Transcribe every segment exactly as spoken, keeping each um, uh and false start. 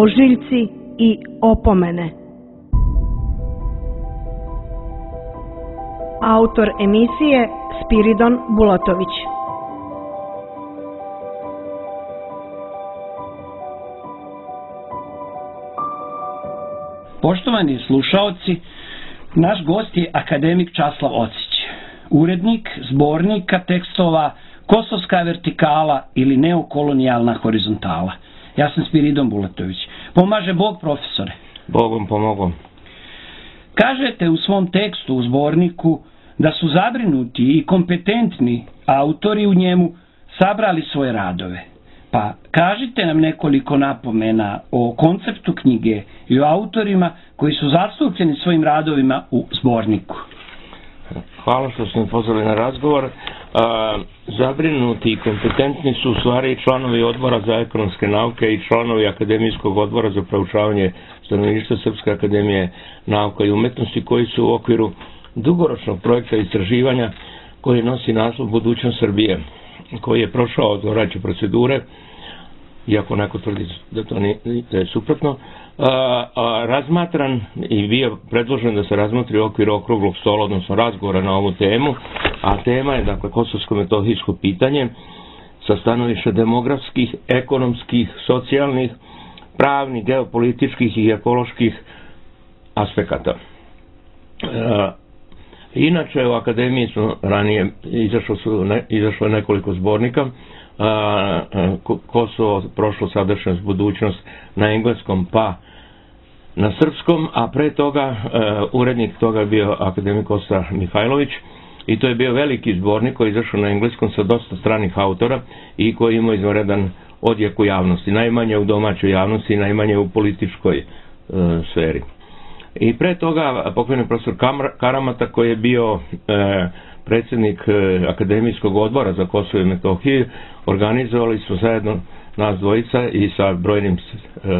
ožiljci i opomene. Autor emisije Spiridon Bulatović. Poštovani slušaoci, naš gost je akademik Časlav Ocić, urednik zbornika tekstova Kosovska vertikala ili neokolonijalna horizontala. Ja sam Spiridon Bulatović. Pomaže Bog, profesore. Bogom pomogom. Kažete u svom tekstu u zborniku da su zabrinuti i kompetentni autori u njemu sabrali svoje radove. Pa kažite nam nekoliko napomena o konceptu knjige i o autorima koji su zastupljeni svojim radovima u zborniku. Hvala što ste mi pozvali na razgovor. A, zabrinuti i kompetentni su u stvari članovi odbora za ekonomske nauke i članovi akademijskog odbora za proučavanje stanovništva Srpske akademije nauka i umetnosti, koji su u okviru dugoročnog projekta istraživanja koji nosi naslov Budućnost Srbije, koji je prošao odgovarajuće procedure, iako neko tvrdi da to nije, da je suprotno, a, a, razmatran i bio predložen da se razmotri u okviru okruglog stola, odnosno razgovora na ovu temu, a tema je, dakle, kosovsko-metohijsko pitanje sa stanovišta demografskih, ekonomskih, socijalnih, pravnih, geopolitičkih i ekoloških aspekata. A, inače, u akademiji su ranije izašlo, su ne, izašlo nekoliko zbornika, a, Kosovo, prošlo, sadašnjost, budućnost na engleskom pa na srpskom, a pre toga a, urednik toga je bio akademik Kosta Mihajlović, i to je bio veliki zbornik koji je izašao na engleskom sa dosta stranih autora i koji ima izvanredan odjek u javnosti, najmanje u domaćoj javnosti i najmanje u političkoj a, sferi. I pre toga pokojni profesor Karamata, koji je bio e, predsjednik e, akademijskog odbora za Kosovo i Metohiju, organizovali smo zajedno nas dvojica i sa brojnim e,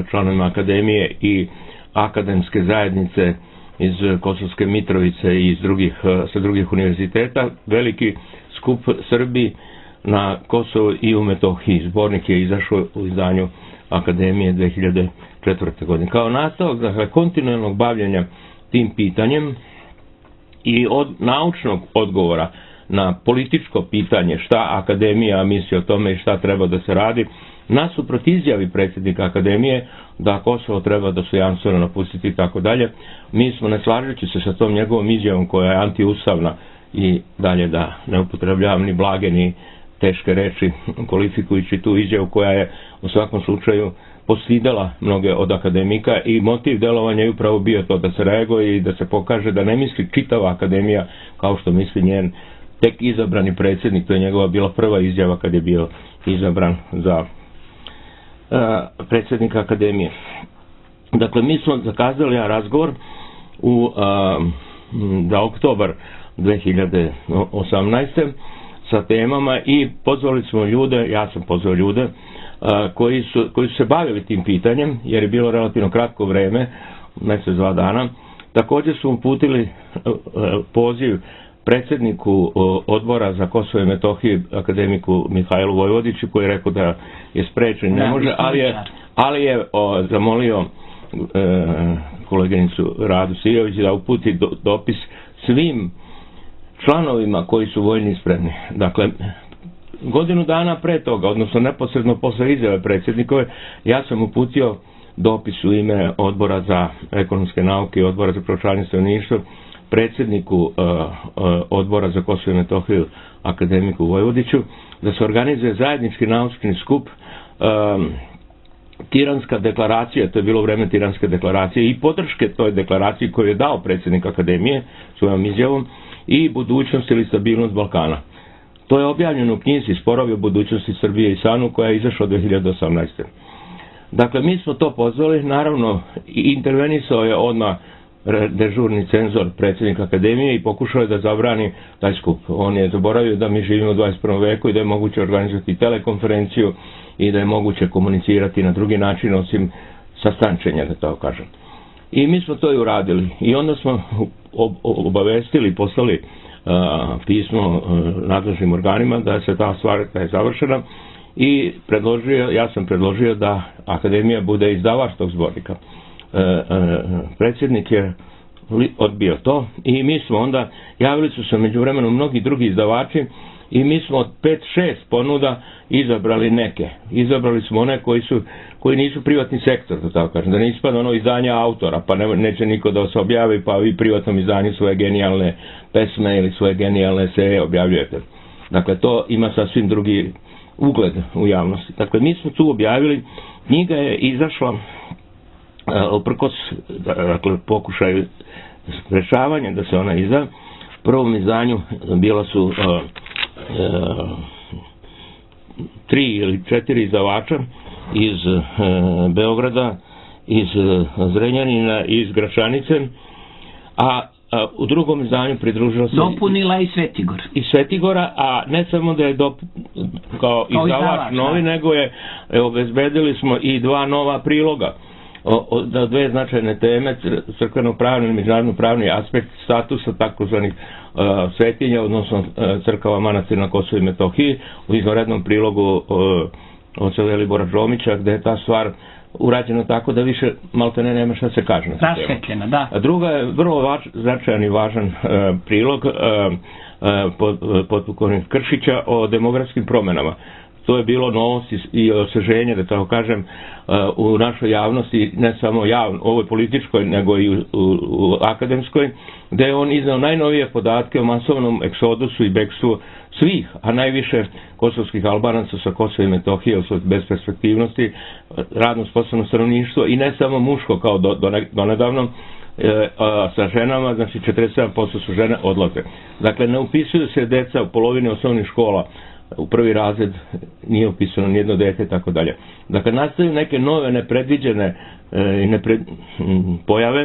članovima akademije i akademske zajednice iz Kosovske Mitrovice i iz drugih, e, sa drugih univerziteta veliki skup Srbi na Kosovo i u Metohiji. Zbornik je izašao u izdanju akademije dve hiljade četvrte. godine. Kao nastavak, dakle, kontinualnog bavljenja tim pitanjem i od naučnog odgovora na političko pitanje šta akademija misli o tome i šta treba da se radi, nasuprot izjavi predsjednika akademije da Kosovo treba dostojanstveno napustiti i tako dalje, mi smo, ne slažući se sa tom njegovom izjavom koja je antiustavna i dalje da ne upotrebljavam ni blage ni teške reči kvalifikujući tu izjavu koja je u svakom slučaju postidala mnoge od akademika, i motiv delovanja je upravo bio to da se reaguje i da se pokaže da ne misli čitava akademija kao što misli njen tek izabrani predsjednik. To je njegova bila prva izjava kad je bio izabran za uh, predsjednika akademije. Dakle, mi smo zakazali jedan razgovor u uh, za oktobar dve hiljade osamnaeste. sa temama i pozvali smo ljude, ja sam pozvao ljude a, koji, su, koji su se bavili tim pitanjem, jer je bilo relativno kratko vreme, mjesec, dva dana. Također su uputili a, a, poziv predsjedniku a, odbora za Kosovo i Metohiju, akademiku Mihajlu Vojvodiću, koji je rekao da je sprečen, ne može, ali je, ali je o, zamolio e, koleginicu Radu Sijović da uputi do, dopis svim članovima koji su voljni spremni. Dakle, godinu dana pre toga, odnosno neposredno posle izjave predsjednikove, ja sam uputio dopis u ime odbora za ekonomske nauke i odbora za proučavanje stanovništva predsjedniku uh, uh, odbora za Kosovo i Metohiju, akademiku Vojvodiću, da se organizuje zajednički naučni skup um, Tiranska deklaracija, to je bilo vreme Tiranske deklaracije, i podrške toj deklaraciji koju je dao predsjednik akademije svojom izjavom, i budućnost ili stabilnost Balkana. To je objavljeno u knjizi Sporovi o budućnosti Srbije i Sanu, koja je izašla dve hiljade osamnaeste. Dakle, mi smo to pozvali, naravno, intervenisao je odmah dežurni cenzor predsjednik akademije i pokušao je da zabrani taj skup. On je zaboravio da mi živimo u dvadeset prvom veku i da je moguće organizovati telekonferenciju i da je moguće komunicirati na drugi način osim sastančenja, da tako kažem. I mi smo to i uradili. I onda smo obavestili, poslali uh, pismo uh, nadležnim organima da se ta stvar da je završena i predložio, ja sam predložio da Akademija bude izdavač tog zbornika. E, e, predsjednik je odbio to i mi smo onda, javili su se međuvremenu mnogi drugi izdavači i mi smo od pet šest ponuda izabrali neke. Izabrali smo one koji su koji nisu privatni sektor, da tako kažem, da ne ispada ono izdanje autora, pa ne, neće niko da se objavi, pa vi privatnom izdanju svoje genijalne pesme ili svoje genijalne eseje objavljujete. Dakle, to ima sasvim drugi ugled u javnosti. Dakle, mi smo tu objavili, knjiga je izašla uprkos, dakle, pokušaju sprečavanja da se ona izda. U prvom izdanju bila su uh, uh, tri ili četiri izdavača iz uh, Beograda, iz uh, Zrenjanina i iz Gračanice, a a u drugom izdanju pridružila se dopunila i Svetigor. I Svetigora, a ne samo da je dop, kao, kao izdavač novi, da. Nego je e, obezbedili smo i dva nova priloga. O, o, da dve značajne teme, crkveno-pravni i međunarodno-pravni aspekt statusa takozvanih uh, svetinja, odnosno uh, crkava manastira na Kosovu i Metohiji, u izvanrednom prilogu uh, oca Velibora Đomića, gde je ta stvar urađeno tako da više maltene nema šta se kaže. Rasvetljena, da. A druga je vrlo važ, značajan i važan uh, prilog uh, uh, pod, uh, potpukovnika Kršića o demografskim promenama. To je bilo novost i osveženje, da tako kažem, u našoj javnosti, ne samo javno, ovoj političkoj, nego i u, u, u akademskoj, gde je on iznao najnovije podatke o masovnom egzodusu i bekstvu svih, a najviše kosovskih Albanaca sa Kosova i Metohije u svoj besperspektivnosti, radno sposobno stanovništvo i ne samo muško kao do, do, donedavno, e, a, sa ženama, znači četrdeset sedam posto su žene odlaze. Dakle, ne upisuju se deca u polovini osnovnih škola, u prvi razred nije upisano nijedno dete, tako dalje. Dakle, nastaju neke nove nepredviđene e, nepred, m, pojave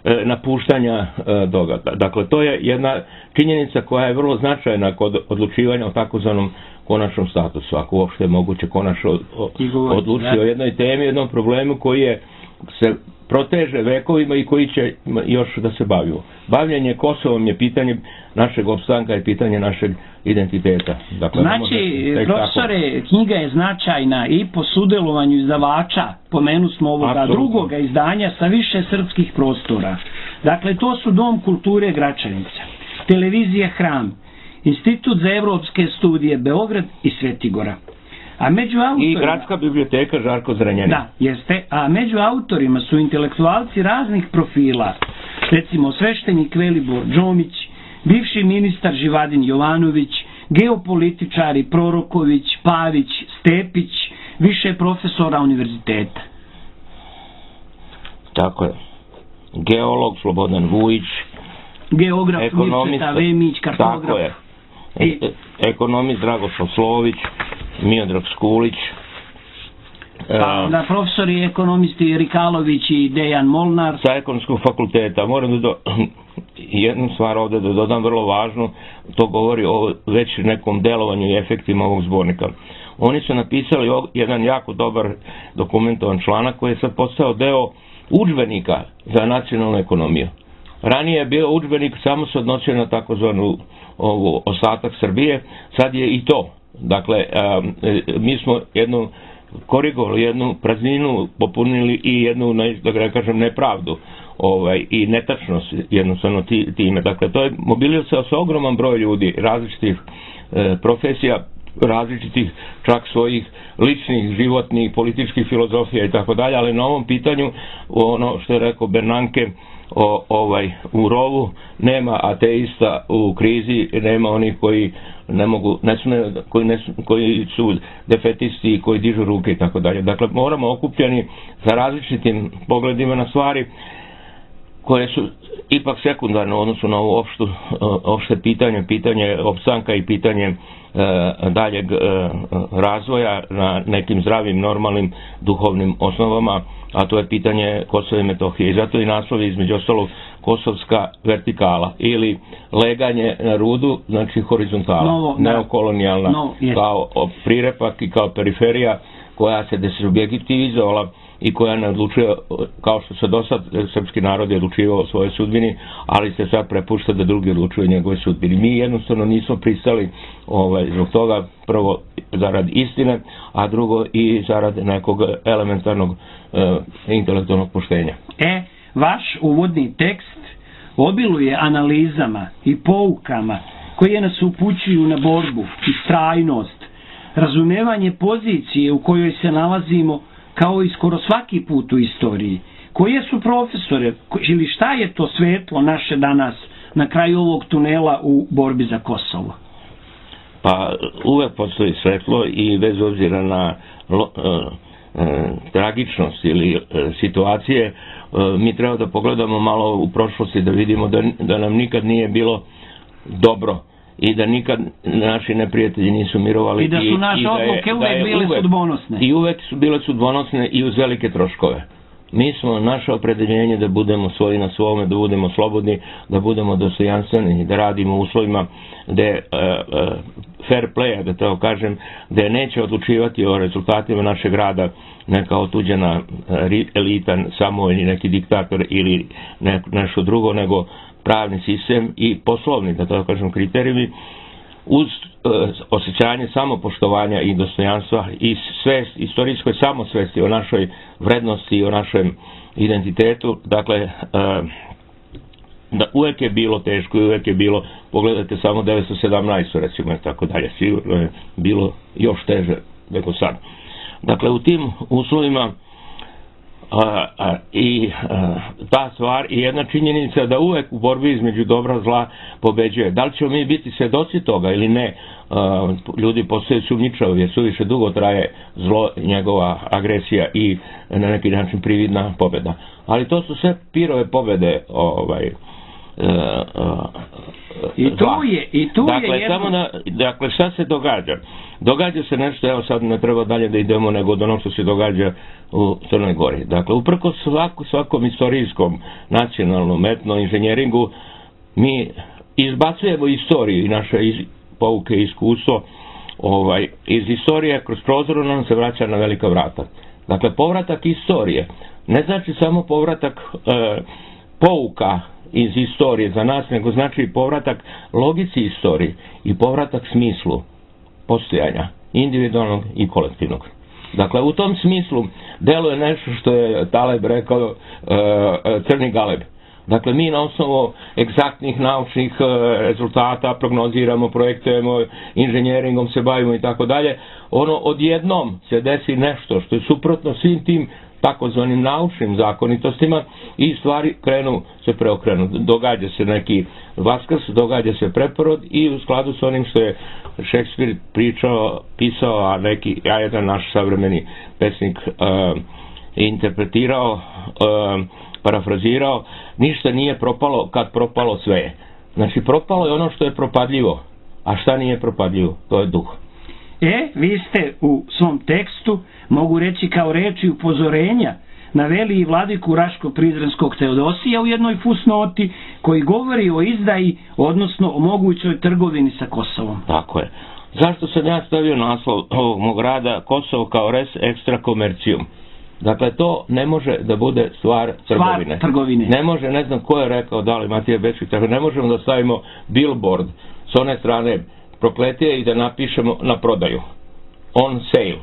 e, napuštanja e, događaja. Dakle, to je jedna činjenica koja je vrlo značajna kod odlučivanja o takozvanom konačnom statusu, ako uopšte je moguće konačno odlučiti o jednoj temi, jednom problemu koji je se proteže vekovima i koji će još da se bavimo. Bavljenje Kosovom je pitanje našeg opstanka i pitanje našeg identiteta. Dakle, znači, profesore, tako. Knjiga je značajna i po sudjelovanju izdavača, pomenu smo ovoga Absolutno. drugoga izdanja sa više srpskih prostora. Dakle, to su Dom kulture Gračanica, Televizija Hram, Institut za evropske studije Beograd i Svetigora. A među autorima, i Gradska biblioteka Žarko Zrenjanin. Da, jeste. A među autorima su intelektualci raznih profila. Recimo, sveštenik Velibor Đomić, bivši ministar Živadin Jovanović, geopolitičari Proroković, Pavić, Stepić, više profesora univerziteta. Tako je. Geolog Slobodan Vujić, geograf Mirceta Vemić, kartograf. Tako je. E, ekonomist Dragoslav Slović, Miodrag Skulić. Pa, da, profesori ekonomisti Rikalović i Dejan Molnar. Sa ekonomskog fakulteta. Moram da do, jednu stvar ovde da dodam vrlo važnu, to govori o već nekom delovanju i efektima ovog zbornika. Oni su napisali jedan jako dobar dokumentovan članak koji je sad postao deo udžbenika za nacionalnu ekonomiju. Ranije je bio udžbenik, samo se odnosio na takozvanu ovu ostatak Srbije, sad je i to. Dakle, a, mi smo jednu korigovali, jednu prazninu popunili i jednu, da ga kažem, nepravdu ovaj, i netačnost jednostavno time. Dakle, to je mobilisao se ogroman broj ljudi, različitih e, profesija, različitih čak svojih ličnih, životnih, političkih filozofija i tako dalje, ali na ovom pitanju, ono što je rekao Bernanke, O, ovaj, u rovu nema ateista u krizi, nema onih koji ne mogu, ne su, ne, koji, ne su, koji su defetisti i koji dižu ruke i tako dalje. Dakle, moramo okupljeni sa različitim pogledima na stvari koje su ipak sekundarne u odnosu na ovo opštu, opšte pitanje, pitanje opstanka i pitanje e, daljeg e, razvoja na nekim zdravim, normalnim, duhovnim osnovama, a to je pitanje Kosova i Metohije. I zato i naslov je između ostalog kosovska vertikala ili leganje na rudu, znači horizontala, Novo, neokolonijalna, no, kao prirepak i kao periferija koja se desubjektivizovala i koja ne odlučuje, kao što se do sad srpski narod je odlučivao o svojoj sudbini, ali se sad prepušta da drugi odlučuju o njegovoj sudbini. Mi jednostavno nismo pristali ovaj, zbog toga, prvo zarad istine, a drugo i zarad nekog elementarnog e, intelektualnog poštenja. E, vaš uvodni tekst obiluje analizama i poukama koje nas upućuju na borbu, istrajnost, razumevanje pozicije u kojoj se nalazimo, kao i skoro svaki put u istoriji. Koje su profesore, ili šta je to svetlo naše danas na kraju ovog tunela u borbi za Kosovo? Pa uvek postoji svetlo i bez obzira na lo, e, e, tragičnost ili e, situacije, e, mi treba da pogledamo malo u prošlosti, da vidimo da, da nam nikad nije bilo dobro i da nikad naši neprijatelji nisu mirovali. I da su naše i odluke uvek je, bile uvek, sudbonosne. I uvek su bile sudbonosne i uz velike troškove. Mi smo naše opredeljenje da budemo svoji na svome, da budemo slobodni, da budemo dostojanstveni, da radimo u uslovima gde uh, uh, fair play, da to kažem, gde neće odlučivati o rezultatima našeg rada neka otuđena elita, samo ili neki diktator ili ne, nešto drugo, nego pravni sistem i poslovni, da to kažem, kriterijumi, uz uh, osjećanje samopoštovanja i dostojanstva i svest, istorijskoj samosvesti o našoj vrednosti i o našem identitetu. Dakle, uh, da uvek je bilo teško i uvek je bilo, pogledajte samo devetsto sedamnaestu recimo i tako dalje, sigurno je bilo još teže nego sad. Dakle, u tim uslovima A, a, i a, ta stvar i jedna činjenica da uvek u borbi između dobra i zla pobeđuje. Da li ćemo mi biti svedoci toga ili ne, a, ljudi postaju sumnjičavi jer suviše dugo traje zlo, njegova agresija i na neki način prividna pobjeda. Ali to su sve pirove pobjede ovaj, a, a, i tu je, i tu dakle, je jedno... samo da, dakle, šta se događa? Događa se nešto, evo sad ne treba dalje da idemo nego od onog što se događa u Crnoj Gori. Dakle, uprko svako, svakom istorijskom, nacionalnom, etno inženjeringu, mi izbacujemo istoriju i naše iz, pouke i iskustvo ovaj, iz istorije kroz prozor nam se vraća na velika vrata. Dakle, povratak istorije ne znači samo povratak e, pouka iz istorije za nas, nego znači povratak logici istorije i povratak smislu postojanja, individualnog i kolektivnog. Dakle, u tom smislu deluje nešto što je Taleb rekao e, crni galeb. Dakle, mi na osnovu egzaktnih naučnih e, rezultata prognoziramo, projektujemo, inženjeringom se bavimo i tako dalje. Ono odjednom se desi nešto što je suprotno svim tim takozvanim naučnim zakonitostima i stvari krenu se preokrenu. Događa se neki vaskrs, događa se preporod i u skladu s onim što je Šekspir pričao, pisao, a neki, ja jedan naš savremeni pesnik uh, interpretirao, uh, parafrazirao, ništa nije propalo kad propalo sve je. Znači, propalo je ono što je propadljivo, a šta nije propadljivo? To je duh. E, vi ste u svom tekstu, mogu reći kao reči upozorenja, naveli i vladiku Raško-Prizrenskog Teodosija u jednoj fusnoti koji govori o izdaji, odnosno o mogućoj trgovini sa Kosovom. Tako je. Zašto sam ja stavio naslov ovog mog rada Kosovo kao res extra commercium? Dakle, to ne može da bude stvar trgovine. Stvar trgovine. Ne može, ne znam ko je rekao, da li Matija Bečkić, tako ne možemo da stavimo billboard s one strane prokletije i da napišemo na prodaju. On sale.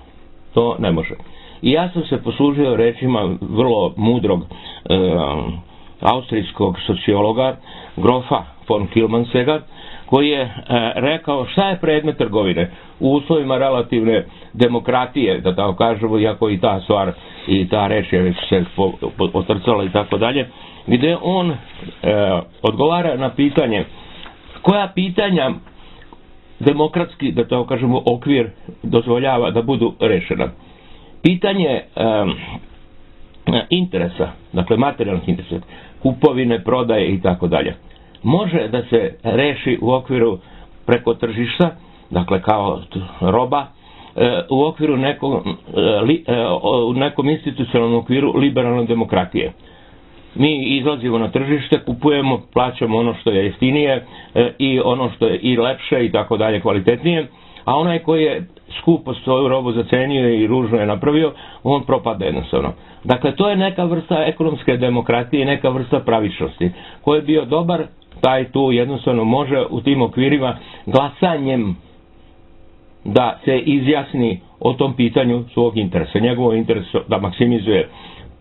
To ne može. I ja sam se poslužio rečima vrlo mudrog e, austrijskog sociologa Grofa von Kilmansega, koji je e, rekao šta je predmet trgovine u uslovima relativne demokratije, da tako kažemo, iako i ta stvar i ta reč je već se otrcala i tako dalje, gdje on e, odgovara na pitanje koja pitanja demokratski, da tako kažemo, okvir dozvoljava da budu rešena. Pitanje um, interesa, dakle materijalnih interesa, kupovine, prodaje i tako dalje, može da se reši u okviru preko tržišta, dakle kao roba, u okviru nekom, u nekom institucionalnom okviru liberalne demokratije. Mi izlazimo na tržište, kupujemo, plaćamo ono što je jeftinije i ono što je i lepše i tako dalje, kvalitetnije, a onaj koji je skupo svoju robu zacenio i ružno je napravio, on propada jednostavno. Dakle, to je neka vrsta ekonomske demokratije i neka vrsta pravičnosti. Ko je bio dobar, taj tu jednostavno može u tim okvirima glasanjem da se izjasni o tom pitanju svog interesa. Njegovo interes da maksimizuje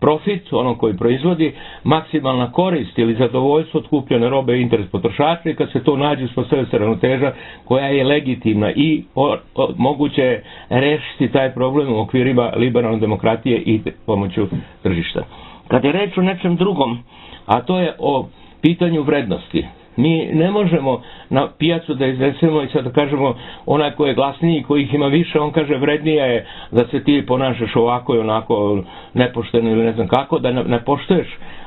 profit, ono koji proizvodi, maksimalna korist ili zadovoljstvo od kupljene robe i interes potrošača, i kad se to nađe uspostavlja se ravnoteža koja je legitimna i o, o, moguće je rešiti taj problem u okvirima liberalne demokratije i pomoću tržišta. Kad je reč o nečem drugom, a to je o pitanju vrednosti, mi ne možemo na pijacu da iznesemo i sad da kažemo onaj ko je glasniji, koji ih ima više, on kaže vrednija je da se ti ponašaš ovako i onako nepošteno ili ne znam kako, da ne, ne poštuješ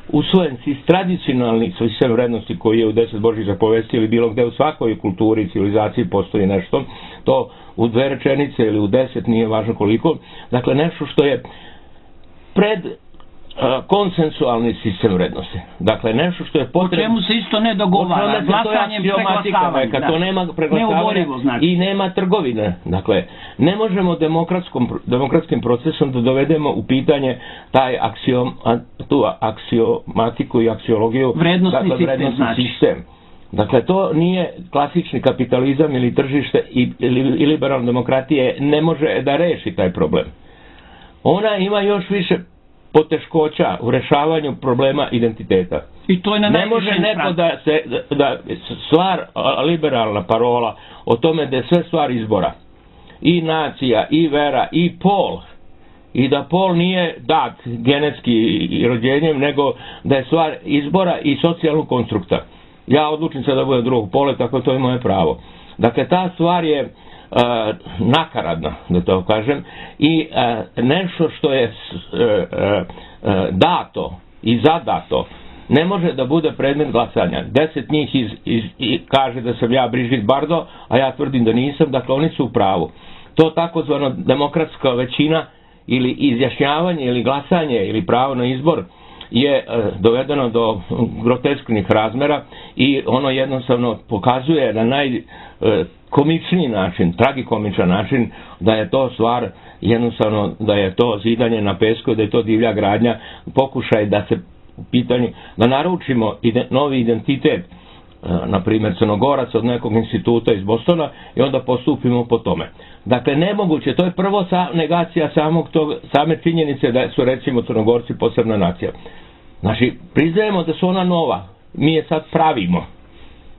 usvojen si tradicionalni sistem vrednosti koji je u deset Božjih zapovesti ili bilo gde u svakoj kulturi i civilizaciji postoji nešto, to u dve rečenice ili u deset, nije važno koliko, dakle nešto što je pred konsensualni sistem vrednosti. Dakle, nešto što je potrebno... O čemu se isto ne dogovara, glasanjem, preglasavanjem. Kad to nema preglasavanja znači. I nema trgovine. Dakle, ne možemo demokratskim procesom da dovedemo u pitanje taj aksiom, tu aksiomatiku i aksiologiju, vrednostni, dakle, sistem, vrednostni znači. sistem. Dakle, to nije klasični kapitalizam ili tržište i, ili, i liberalna demokratija ne može da reši taj problem. Ona ima još više poteškoća u rešavanju problema identiteta. I to je na ne može neko da se da, da stvar liberalna parola o tome da je sve stvar izbora. I nacija, i vera, i pol. I da pol nije dat genetski rođenjem, nego da je stvar izbora i socijalnog konstrukta. Ja odlučim se da budem drugog pola, tako to je moje pravo. Dakle, ta stvar je Uh, nakaradno, da to kažem, i uh, nešto što je uh, uh, dato i zadato ne može da bude predmet glasanja. Deset njih iz, iz, iz, kaže da sam ja Brigitte Bardot, a ja tvrdim da nisam, dakle oni su u pravu. To takozvano demokratska većina ili izjašnjavanje ili glasanje ili pravo na izbor je uh, dovedeno do grotesknih razmera i ono jednostavno pokazuje na naj uh, komični način, tragikomičan način da je to stvar jednostavno, da je to zidanje na pesku, da je to divlja gradnja, pokušaj da se u pitanju, da naručimo ide, novi identitet, na primjer Crnogorac od nekog instituta iz Bostona i onda postupimo po tome. Dakle, nemoguće, to je prvo sa, negacija samog tog, same činjenice da su recimo Crnogorci posebna nacija. Znači, priznajemo da su ona nova, mi je sad pravimo.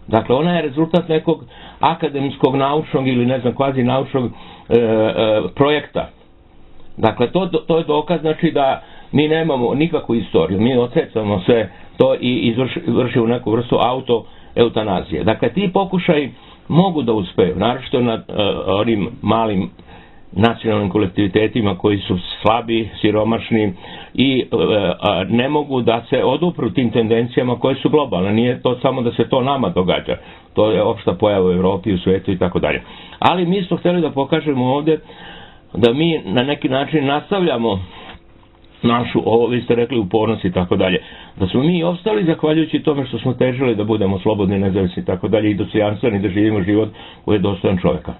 Dakle, ona je rezultat nekog akademskog, naučnog ili ne znam, kvazi naučnog e, e, projekta. Dakle, to, to je dokaz, znači da mi nemamo nikakvu istoriju, mi odsecamo sve to i izvršimo neku vrstu auto-eutanazije. Dakle, ti pokušaj mogu da uspeju, naročito na e, onim malim nacionalnim kolektivitetima koji su slabi, siromašni i e, a, ne mogu da se odupru tim tendencijama koje su globalne. Nije to samo da se to nama događa. To je opšta pojava u Evropi, u svetu i tako dalje. Ali mi smo htjeli da pokažemo ovdje da mi na neki način nastavljamo našu, ovo vi ste rekli, upornost i tako dalje. Da smo mi ostali zahvaljujući tome što smo težili da budemo slobodni, nezavisni i tako dalje i dostojanstveni, da živimo život koji je dostojan čovjeka.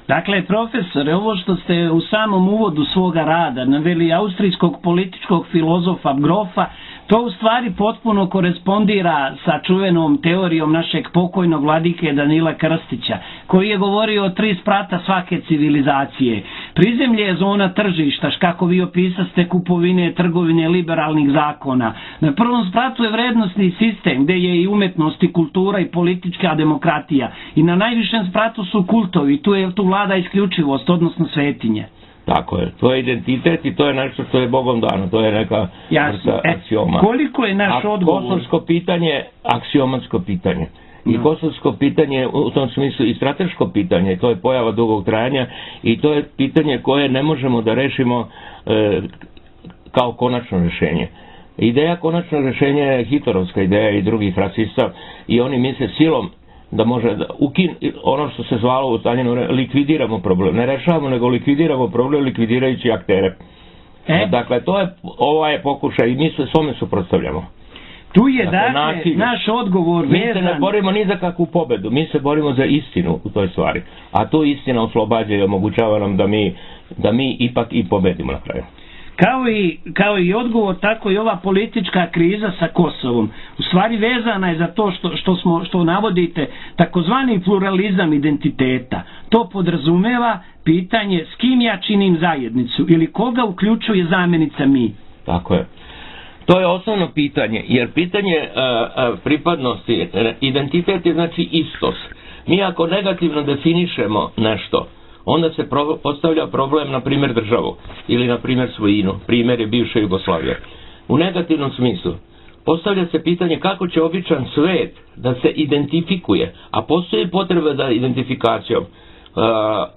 Dakle, profesore, ovo što ste u samom uvodu svoga rada naveli austrijskog političkog filozofa Grofa, to u stvari potpuno korespondira sa čuvenom teorijom našeg pokojnog vladike Danila Krstića, koji je govorio o tri sprata svake civilizacije. Prizemlje je zona tržišta, kako vi opisaste, kupovine, trgovine, liberalnih zakona. Na prvom spratu je vrednostni sistem, gdje je i umetnost, i kultura, i politička demokratija. I na najvišem spratu su kultovi, tu je tu vlada isključivost, odnosno svetinje. Tako je, to je identitet i to je nešto što je Bogom dano, to je neka vrsta aksioma. E, koliko je naš A odgovor? kosovsko pitanje, aksiomatsko pitanje. I no. Kosovsko pitanje u tom smislu i strateško pitanje, to je pojava dugog trajanja i to je pitanje koje ne možemo da rešimo e, kao konačno rešenje. Ideja konačnog rešenja je hitlerovska ideja i drugih rasista i oni misle silom da može da ukin, ono što se zvalo u Staljinu, likvidiramo problem. Ne rešavamo, nego likvidiramo problem likvidirajući aktere. E? Dakle, to je, ova je pokušaj i mi se svome suprotstavljamo. Tu je dakle naš odgovor vezan. Mi se ne borimo ni za kakvu pobedu, mi se borimo za istinu u toj stvari. A tu istina oslobađa i omogućava nam da mi, da mi ipak i pobedimo na kraju. Kao i, kao i odgovor, tako i ova politička kriza sa Kosovom. U stvari vezana je za to što, što, smo, što navodite takozvani pluralizam identiteta. To podrazumeva pitanje s kim ja činim zajednicu ili koga uključuje zamjenica mi. Tako je. To je osnovno pitanje, jer pitanje a, a, pripadnosti, identitet je znači istos. Mi ako negativno definišemo nešto, onda se pro, postavlja problem na primjer državu ili na primjer svojinu, primjer je bivša Jugoslavija. U negativnom smislu postavlja se pitanje kako će običan svet da se identifikuje, a postoji potreba za identifikacijom. Uh,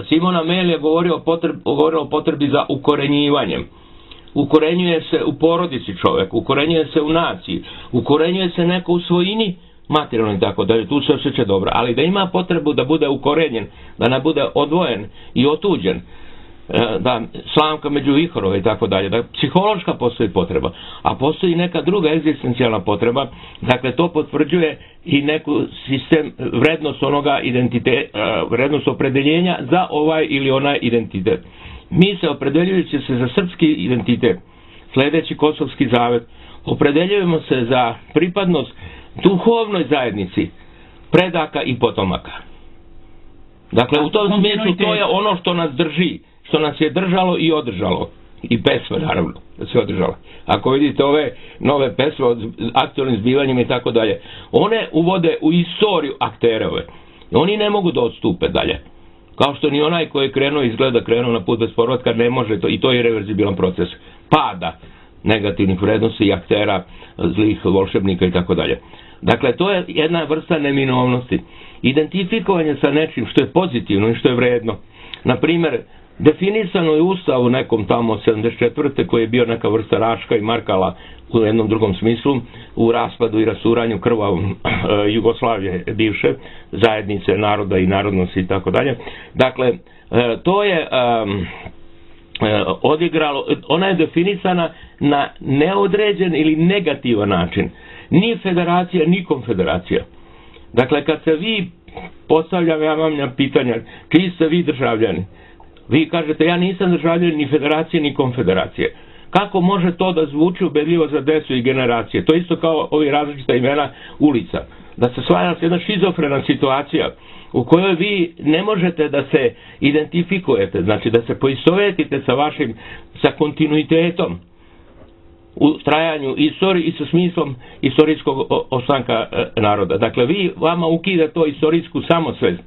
Simona Mel je govorio o, potreb, govorio o potrebi za ukorenjivanjem. Ukorenjuje se u porodici čovjek, ukorenjuje se u naciji, ukorenjuje se neko u svojini, materijalno i tako da je tu se osjeća dobro, ali da ima potrebu da bude ukorenjen, da ne bude odvojen i otuđen, da slamka među vihorove i tako dalje, da psihološka postoji potreba, a postoji neka druga egzistencijalna potreba, dakle to potvrđuje i neku sistem vrednost onoga identiteta, vrednost opredeljenja za ovaj ili onaj identitet. Mi se opredeljujući se za srpski identitet, sljedeći Kosovski zavet, opredeljujemo se za pripadnost duhovnoj zajednici predaka i potomaka. Dakle, u tom smislu to je ono što nas drži, što nas je držalo i održalo. I pesme, naravno, da se održalo. Ako vidite ove nove pesme od aktualnim zbivanjima i tako dalje, one uvode u istoriju akterove. Oni ne mogu da odstupe dalje. Kao što ni onaj koji je krenuo izgleda krenuo na put bez povratka ne može to, i to je reverzibilan proces pada negativnih vrednosti i aktera, zlih volšebnika i tako dalje. Dakle, to je jedna vrsta neminovnosti. Identifikovanje sa nečim što je pozitivno i što je vredno. Na primjer, definisano je Ustav u nekom tamo sedamdeset četvrte koji je bio neka vrsta Raška i Markala u jednom drugom smislu, u raspadu i rasuranju krvavom Jugoslavije bivše, zajednice naroda i narodnosti i tako dalje. Dakle, to je um, odigralo, ona je definisana na neodređen ili negativan način. Ni federacija, ni konfederacija. Dakle, kad se vi postavljam, ja vam pitanja, čiji ste vi državljani? Vi kažete, ja nisam državljan ni federacije, ni konfederacije. Kako može to da zvuči ubedljivo za decu i generacije? To isto kao ovi različita imena ulica. Da se stvara jedna šizofrena situacija u kojoj vi ne možete da se identifikujete, znači da se poistovetite sa vašim, sa kontinuitetom u trajanju istorije i sa smislom istorijskog ostanka naroda. Dakle, vi vama ukida to istorijsku samosvest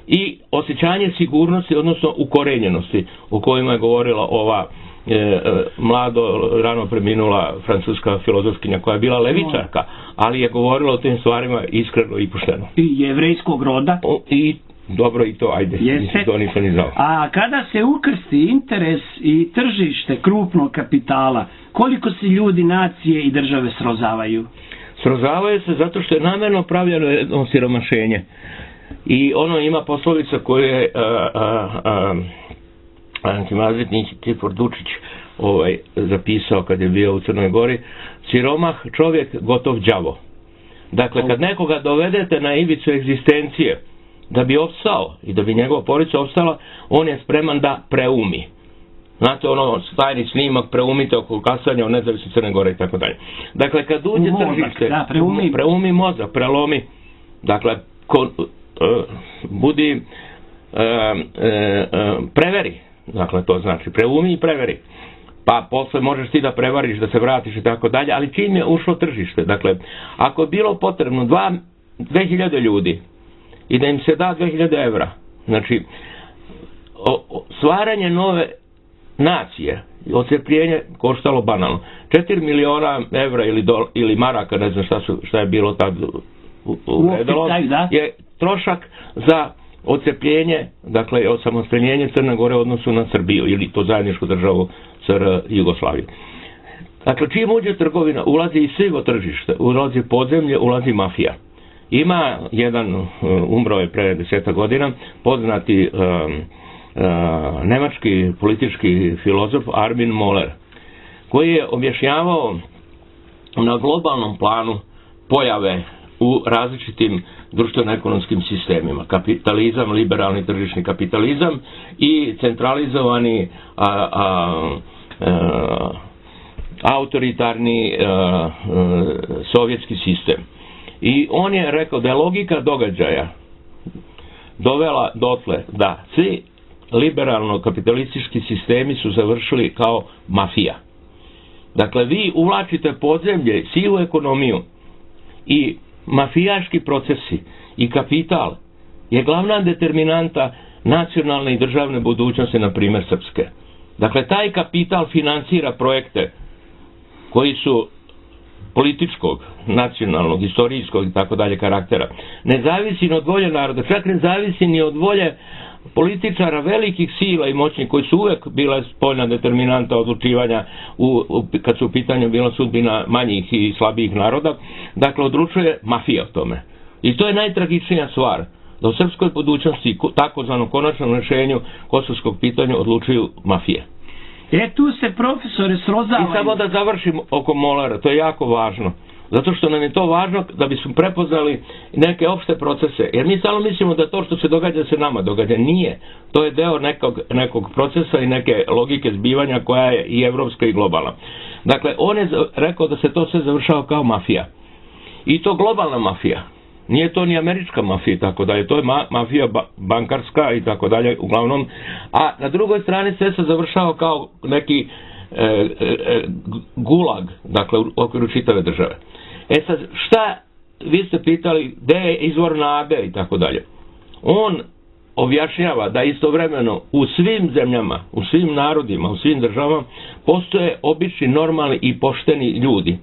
i osjećanje sigurnosti, odnosno ukorenjenosti, o kojima je govorila ova e, mlado, rano preminula francuska filozofkinja koja je bila levičarka, ali je govorila o tim stvarima iskreno i pošteno. I jevrejskog roda. O, I dobro i to, ajde, Jeste. to nisam ni znao. A kada se ukrsti interes i tržište krupnog kapitala, koliko se ljudi, nacije i države srozavaju? Srozavaju se zato što je namjerno pravljeno jedno siromašenje. I ono ima poslovica koju je antimazvetnik Tipor Dučić ovaj, zapisao kad je bio u Crnoj Gori. Siromah čovjek, gotov đavo. Dakle, kad nekoga dovedete na ivicu egzistencije da bi opstao i da bi njegova porodica opstala, on je spreman da preumi. Znate, ono, tajni snimak, preumite oko kasanja o nezavisnosti Crne Gore i tako dalje. Dakle, kad uđe tržište, da, preumi. preumi mozak, prelomi, dakle, kon, uh, budi, uh, uh, preveri, dakle, to znači, preumi i preveri. Pa posle možeš ti da prevariš, da se vratiš i tako dalje, ali čim je ušlo tržište, dakle, ako je bilo potrebno dva, dve hiljade ljudi i da im se da dve hiljade evra, znači, o, o, stvaranje nove nacije, odcepljenje koštalo banalno. četiri miliona evra ili, dol, ili maraka, ne znam šta, su, šta je bilo tad uvredalo, je trošak za odcepljenje, dakle, osamostaljenje Crne Gore u odnosu na Srbiju, ili to zajedničku državu S R J Jugoslavije. Dakle, čim uđe trgovina, ulazi i sivo tržište, ulazi podzemlje, ulazi mafija. Ima jedan, umro je pre deseta godina, poznati um, uh, nemački politički filozof Armin Moller, koji je objašnjavao na globalnom planu pojave u različitim društveno-ekonomskim sistemima. Kapitalizam, liberalni tržišni kapitalizam i centralizovani a, a, a, autoritarni a, a, sovjetski sistem. I on je rekao da je logika događaja dovela dotle da svi liberalno-kapitalistički sistemi su završili kao mafija. Dakle, vi uvlačite podzemlje, sivu ekonomiju i mafijaški procesi i kapital je glavna determinanta nacionalne i državne budućnosti, na primjer srpske. Dakle, taj kapital finansira projekte koji su političkog, nacionalnog, istorijskog i tako dalje karaktera. Ne zavisi ni od volje naroda, čak ne zavisi ni od volje političara velikih sila i moćnih koji su uvek bila spoljna determinanta odlučivanja u, u, kad su u pitanju bila sudbina manjih i slabijih naroda. Dakle, odlučuje mafija o tome. I to je najtragičnija stvar, da u srpskoj budućnosti, takozvanom konačnom rešenju kosovskog pitanja odlučuju mafije. E, tu se profesore srozavaju. I samo da završim oko Molera, to je jako važno. Zato što nam je to važno da bismo prepoznali neke opšte procese. Jer mi samo mislimo da to što se događa se nama događa. Nije. To je deo nekog, nekog procesa i neke logike zbivanja koja je i evropska i globalna. Dakle, on je rekao da se to sve završava kao mafija. I to globalna mafija. Nije to ni američka mafija i tako dalje. To je ma, mafija ba, bankarska i tako dalje uglavnom. A na drugoj strani sve se završava kao neki e, e, gulag, dakle u okviru čitave države. E sad, šta, vi ste pitali gde je izvor nade i tako dalje. On objašnjava da istovremeno u svim zemljama, u svim narodima, u svim državama postoje obični, normalni i pošteni ljudi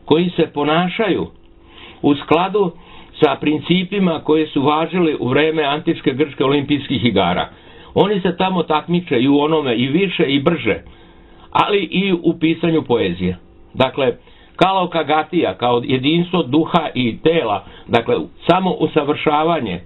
koji se ponašaju u skladu sa principima koje su važili u vreme antičke grčke olimpijskih igara. Oni se tamo takmiče i u onome i više i brže, ali i u pisanju poezije. Dakle, Kalaokagatija kao jedinstvo duha i tela, dakle samo usavršavanje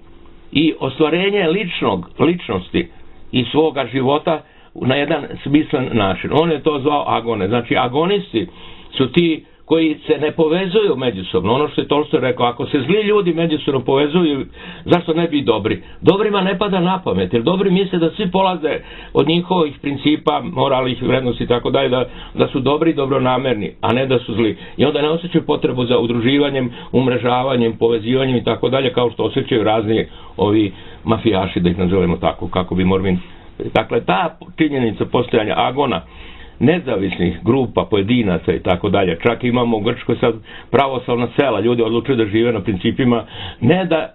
i ostvarenje ličnog, ličnosti i svoga života na jedan smislen način. On je to zvao agone. Znači agonisti su ti koji se ne povezuju međusobno. Ono što je Tolstoj rekao, ako se zli ljudi međusobno povezuju, zašto ne bi dobri? Dobrima ne pada na pamet, jer dobri misle da svi polaze od njihovih principa, moralnih vrednosti i tako dalje, da, da su dobri i dobronamerni, a ne da su zli. I onda ne osjećaju potrebu za udruživanjem, umrežavanjem, povezivanjem i tako dalje, kao što osjećaju razni ovi mafijaši, da ih nazovemo tako, kako bi Morvin. Dakle, ta činjenica postojanja agona, nezavisnih grupa, pojedinaca i tako dalje. Čak imamo u Grčkoj sad pravoslavna sela, ljudi odlučuju da žive na principima, ne da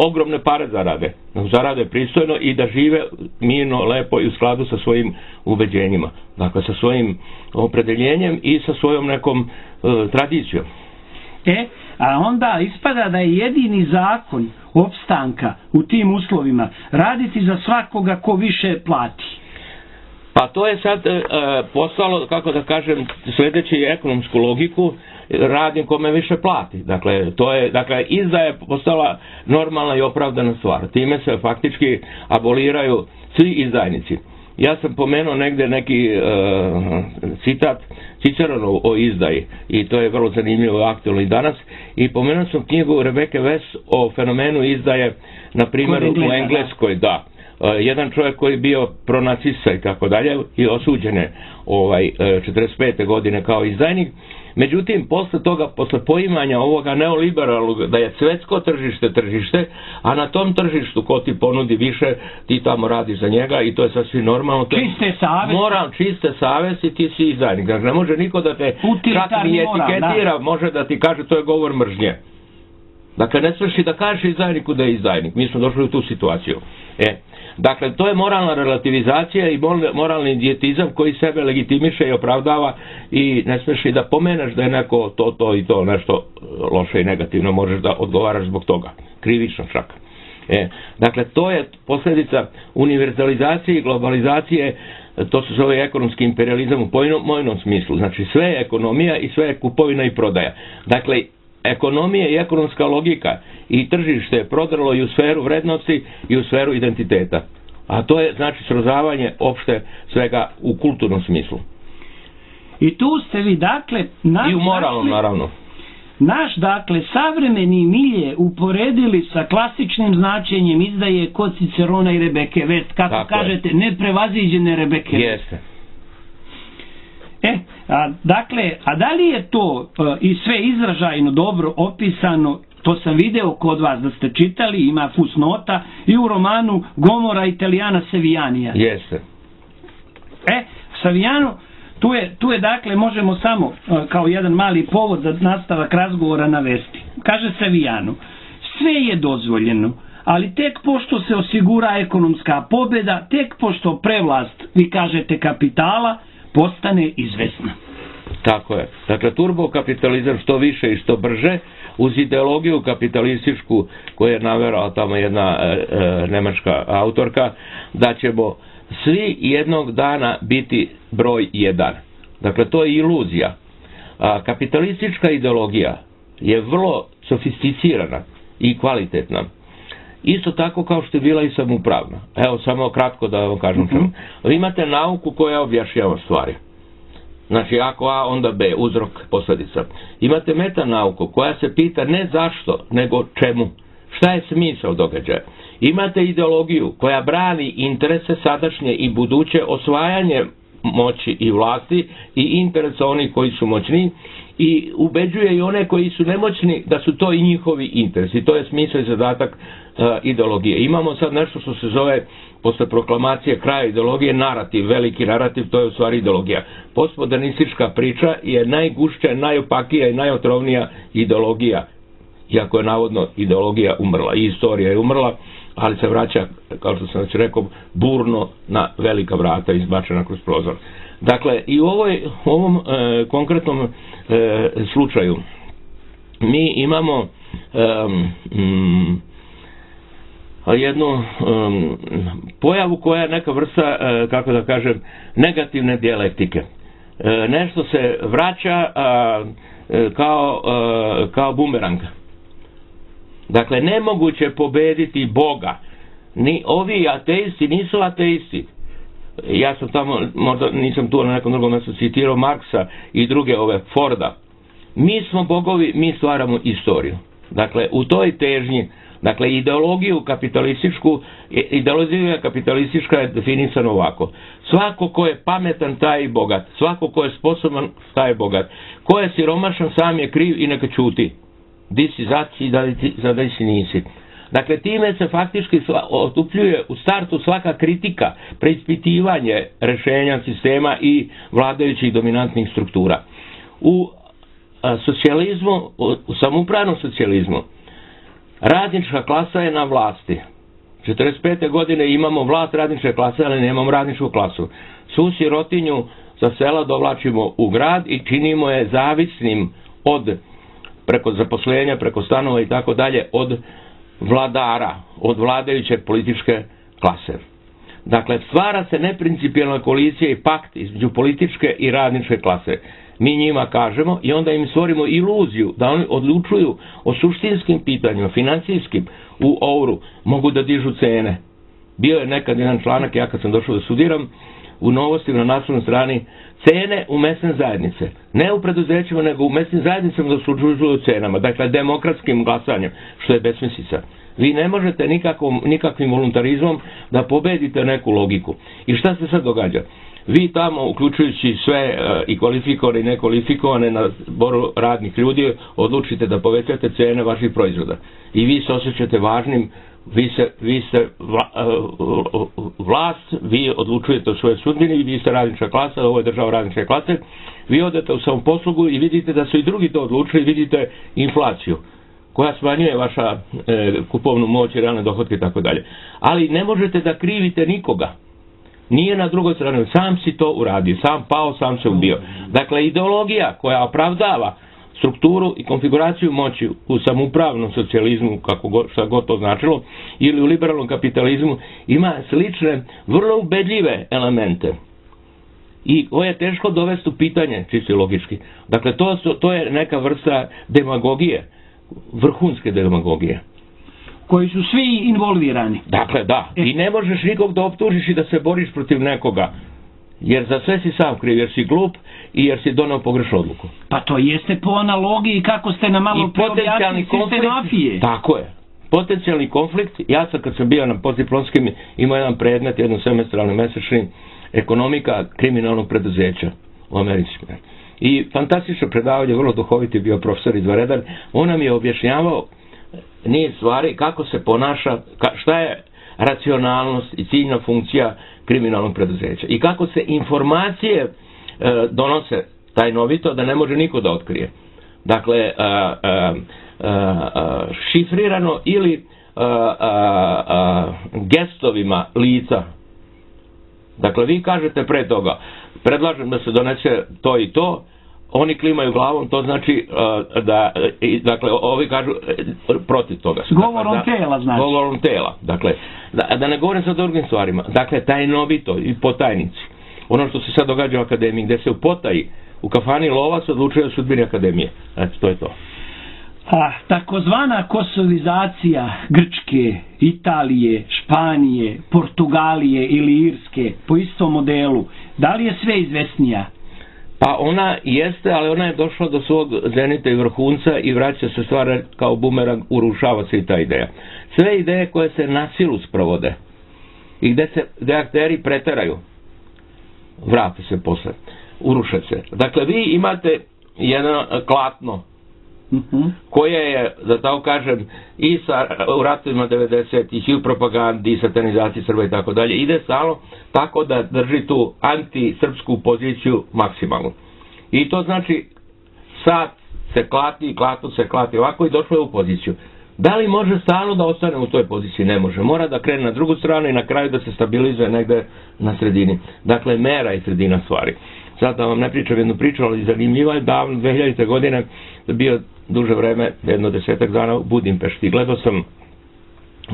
ogromne pare zarade, zarade pristojno i da žive mirno, lepo i u skladu sa svojim ubeđenjima. Dakle, sa svojim opredeljenjem i sa svojom nekom e, tradicijom. E, a onda ispada da je jedini zakon opstanka u tim uslovima raditi za svakoga ko više plati. Pa to je sad e, postalo, kako da kažem, sljedeći ekonomsku logiku, radim kome više plati. Dakle, to je, dakle, izdaja je postala normalna i opravdana stvar. Time se faktički aboliraju svi izdajnici. Ja sam pomenuo negde neki e, citat Ciceronu o izdaji i to je vrlo zanimljivo i aktualno i danas. I pomenuo sam knjigu Rebeke West o fenomenu izdaje, na primjer u Engleskoj, da. Jedan čovjek koji je bio pronacista i tako dalje i osuđen je ovaj, četrdeset pete godine kao izdajnik. Međutim, posle toga, posle poimanja ovoga neoliberalnog, da je svetsko tržište tržište, a na tom tržištu ko ti ponudi više, ti tamo radiš za njega i to je sasvim normalno. Čiste savesti. Moral, čiste savesti, ti si izdajnik. Dakle, ne može niko da te čak ni etiketira, može da ti kaže to je govor mržnje. Dakle, ne smiješ i da kažeš izdajniku da je izdajnik. Mi smo došli u tu situaciju. E, dakle, to je moralna relativizacija i moralni dijetizam koji sebe legitimiše i opravdava i ne smiješ i da pomeneš da je neko to, to i to nešto loše i negativno, možeš da odgovaraš zbog toga. Krivično čak. E, dakle, to je posljedica univerzalizacije i globalizacije, to se zove ekonomski imperializam u pojmovnom smislu. Znači, sve je ekonomija i sve je kupovina i prodaja. Dakle, ekonomija i ekonomska logika i tržište je prodrlo i u sferu vrednosti i u sferu identiteta. A to je znači srozavanje opšte svega u kulturnom smislu. I tu ste vi dakle našli, i u moralnom naravno. naš, dakle, savremeni milje uporedili sa klasičnim značenjem izdaje kod Cicerona i Rebeke Vest, kako Tako kažete, je. Neprevaziđene Rebeke Vest. Jeste. E, a, dakle, a da li je to a, i sve izražajno dobro opisano? To sam video kod vas da ste čitali, ima fusnota i u romanu Gomora Italijana Sevijanija. Jeste. E, Savijano, tu je, tu je dakle, možemo samo uh, kao jedan mali povod za nastavak razgovora navesti. Kaže Savijano, sve je dozvoljeno, ali tek pošto se osigura ekonomska pobjeda, tek pošto prevlast, vi kažete, kapitala, postane izvesna. Tako je. Dakle, turbokapitalizam što više i što brže, uz ideologiju kapitalističku koju je naverala tamo jedna e, e, nemačka autorka, da ćemo svi jednog dana biti broj jedan. Dakle, to je iluzija. A, kapitalistička ideologija je vrlo sofisticirana i kvalitetna. Isto tako kao što je bila i samoupravna. Evo, samo kratko da vam kažem čemu. Mm-hmm. Vi imate nauku koja objašnjava stvari. Znači, ako A, onda B, uzrok, posljedica. Imate metanauku koja se pita ne zašto, nego čemu. Šta je smisao događaja? Imate ideologiju koja brani interese sadašnje i buduće, osvajanje moći i vlasti i interesa onih koji su moćni i ubeđuje i one koji su nemoćni da su to i njihovi interesi. To je smisao i zadatak uh, ideologije. Imamo sad nešto što se zove, posle proklamacije kraja ideologije, narativ, veliki narativ, to je u stvari ideologija. Postmodernistička priča je najgušća, najopakija i najotrovnija ideologija, iako je navodno ideologija umrla i istorija je umrla, ali se vraća, kao što sam već rekao, burno na velika vrata izbačena kroz prozor. Dakle, i u ovoj, ovom e, konkretnom e, slučaju mi imamo e, m, jednu um, pojavu koja je neka vrsta, e, kako da kažem, negativne dijalektike. E, nešto se vraća a, e, kao, a, kao bumerang. Dakle, nemoguće pobediti Boga. Ni ovi ateisti nisu ateisti. Ja sam tamo, možda nisam tu na nekom drugom mjestu citirao Marksa i druge ove, Forda. Mi smo bogovi, mi stvaramo istoriju. Dakle, u toj težnji, dakle, ideologiju kapitalističku, ideologija kapitalistička je definisana ovako. Svako ko je pametan, taj je bogat. Svako ko je sposoban, taj je bogat. Ko je siromašan, sam je kriv i neka ćuti. Di si za ti, za da si nisi. Dakle, time se faktički otupljuje u startu svaka kritika, preispitivanje rešenja sistema i vladajućih dominantnih struktura. U a, socijalizmu, u samoupravnom socijalizmu, radnička klasa je na vlasti. četrdeset pete godine imamo vlast radničke klase, ali nemamo radničku klasu. Svu sirotinju sa sela dovlačimo u grad i činimo je zavisnim od, preko zaposlenja, preko stanova i tako dalje, od vladara, od vladajuće političke klase. Dakle, stvara se neprincipijelna koalicija i pakt između političke i radničke klase. Mi njima kažemo i onda im stvorimo iluziju da oni odlučuju o suštinskim pitanjima, financijskim, u ouru, mogu da dižu cene. Bio je nekad jedan članak, ja kad sam došao da studiram, u Novostima na naslovnoj strani, cene u mesne zajednice. Ne u preduzećima, nego u mesnim zajednicama da se odlučuju cenama. Dakle, demokratskim glasanjem, što je besmislica. Vi ne možete nikakvom, nikakvim voluntarizmom da pobedite neku logiku. I šta se sad događa? Vi tamo, uključujući sve uh, i kvalifikovane i nekvalifikovane na zboru radnih ljudi, odlučite da povećate cene vaših proizvoda. I vi se osjećate važnim, vi, se, vi ste vla, uh, vlast, vi odlučujete o svojoj sudbini, vi ste radnička klasa, ovo je država radničke klase, vi odete u samoposlugu i vidite da su i drugi to odlučili, vidite inflaciju koja smanjuje vaša e, kupovnu moć i realne dohodke i tako dalje. Ali ne možete da krivite nikoga. Nije na drugoj strani, sam si to uradio, sam pao, sam se ubio. Dakle, ideologija koja opravdava strukturu i konfiguraciju moći u samoupravnom socijalizmu, kako god, šta god to značilo, ili u liberalnom kapitalizmu, ima slične, vrlo ubedljive elemente. I ovo je teško dovesti u pitanje, čisto logički. Dakle, to, su, to je neka vrsta demagogije, vrhunske demagogije. Koji su svi involvirani. Dakle, da. I ne možeš nikog da optužiš i da se boriš protiv nekoga. Jer za sve si sam kriv, jer si glup i jer si donao pogrešnu odluku. Pa to jeste po analogiji kako ste nam malo preobjasnili sistenofije. Tako je. Potencijalni konflikt, ja sam kad sam bio na postdiplomskim imao jedan predmet, jedan semestralni mesečni, ekonomika kriminalnog preduzeća u Americi. I fantastično predavanje, vrlo duhoviti bio profesor izvanredan, on nam je objašnjavao niz stvari kako se ponaša, šta je racionalnost i ciljna funkcija kriminalnog preduzeća i kako se informacije e, donose tajnovito da ne može niko da otkrije. Dakle, a, a, a, šifrirano ili a, a, a, gestovima lica. Dakle, vi kažete pre toga, predlažem da se donese to i to, oni klimaju glavom, to znači uh, da, i, dakle, ovi kažu uh, protiv toga. Govorom dakle, tela, znači. Govorom tela, dakle, da, da ne govorim sad o drugim stvarima, dakle, tajnovito i po tajnici. Ono što se sad događa u akademiji, gde se u potaji, u kafani Lovac odlučuje o sudbini akademije. Eto, to je to. A, takozvana kosovizacija Grčke, Italije, Španije, Portugalije ili Irske po istom modelu, da li je sve izvesnija? Pa ona jeste, ali ona je došla do svog zenita i vrhunca i vraća se stvar kao bumerang, urušava se i ta ideja. Sve ideje koje se na silu sprovode i gde se gde akteri preteraju, vrate se posle, uruše se. Dakle, vi imate jedno klatno koje je, da tako kažem, i sa, u ratovima devedesetih i u propagandi i satanizaciji Srba i tako dalje, ide stalno tako da drži tu antisrpsku poziciju maksimalnu. I to znači sad se klati, klatu se klati ovako i došlo je u poziciju. Da li može stalno da ostane u toj poziciji? Ne može. Mora da krene na drugu stranu i na kraju da se stabilizuje negde na sredini. Dakle, mera i sredina stvari. Sad da vam ne pričam jednu priču, ali zanimljiva je, davno dve hiljadite godine bio duže vreme, jedno desetak dana u Budimpešti. Gledao sam uh,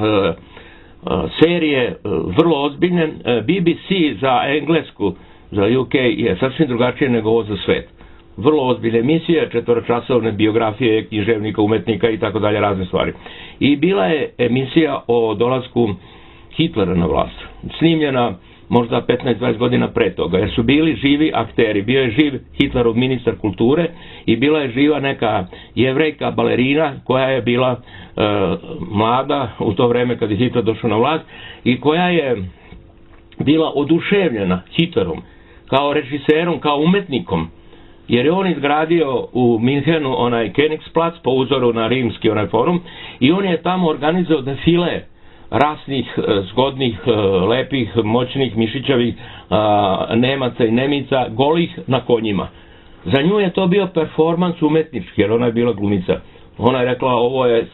uh, serije uh, vrlo ozbiljne. Uh, B B C za englesku, za U K je sasvim drugačije nego ovo za svet. Vrlo ozbiljne emisije, četvoročasovne biografije književnika, umetnika i tako dalje, razne stvari. I bila je emisija o dolasku Hitlera na vlast. Snimljena možda petnaest dvadeset godina pre toga, jer su bili živi akteri. Bio je živ Hitlerov ministar kulture i bila je živa neka jevrejka balerina koja je bila e, mlada u to vreme kad je Hitler došao na vlast i koja je bila oduševljena Hitlerom kao režiserom, kao umetnikom, jer je on izgradio u Minhenu onaj Königsplatz po uzoru na rimski onaj forum i on je tamo organizovao defile rasnih, zgodnih, lepih, moćnih, mišićavih Nemaca i Nemica, golih na konjima. Za nju je to bio performans umetnički, jer ona je bila glumica. Ona je rekla, ovo je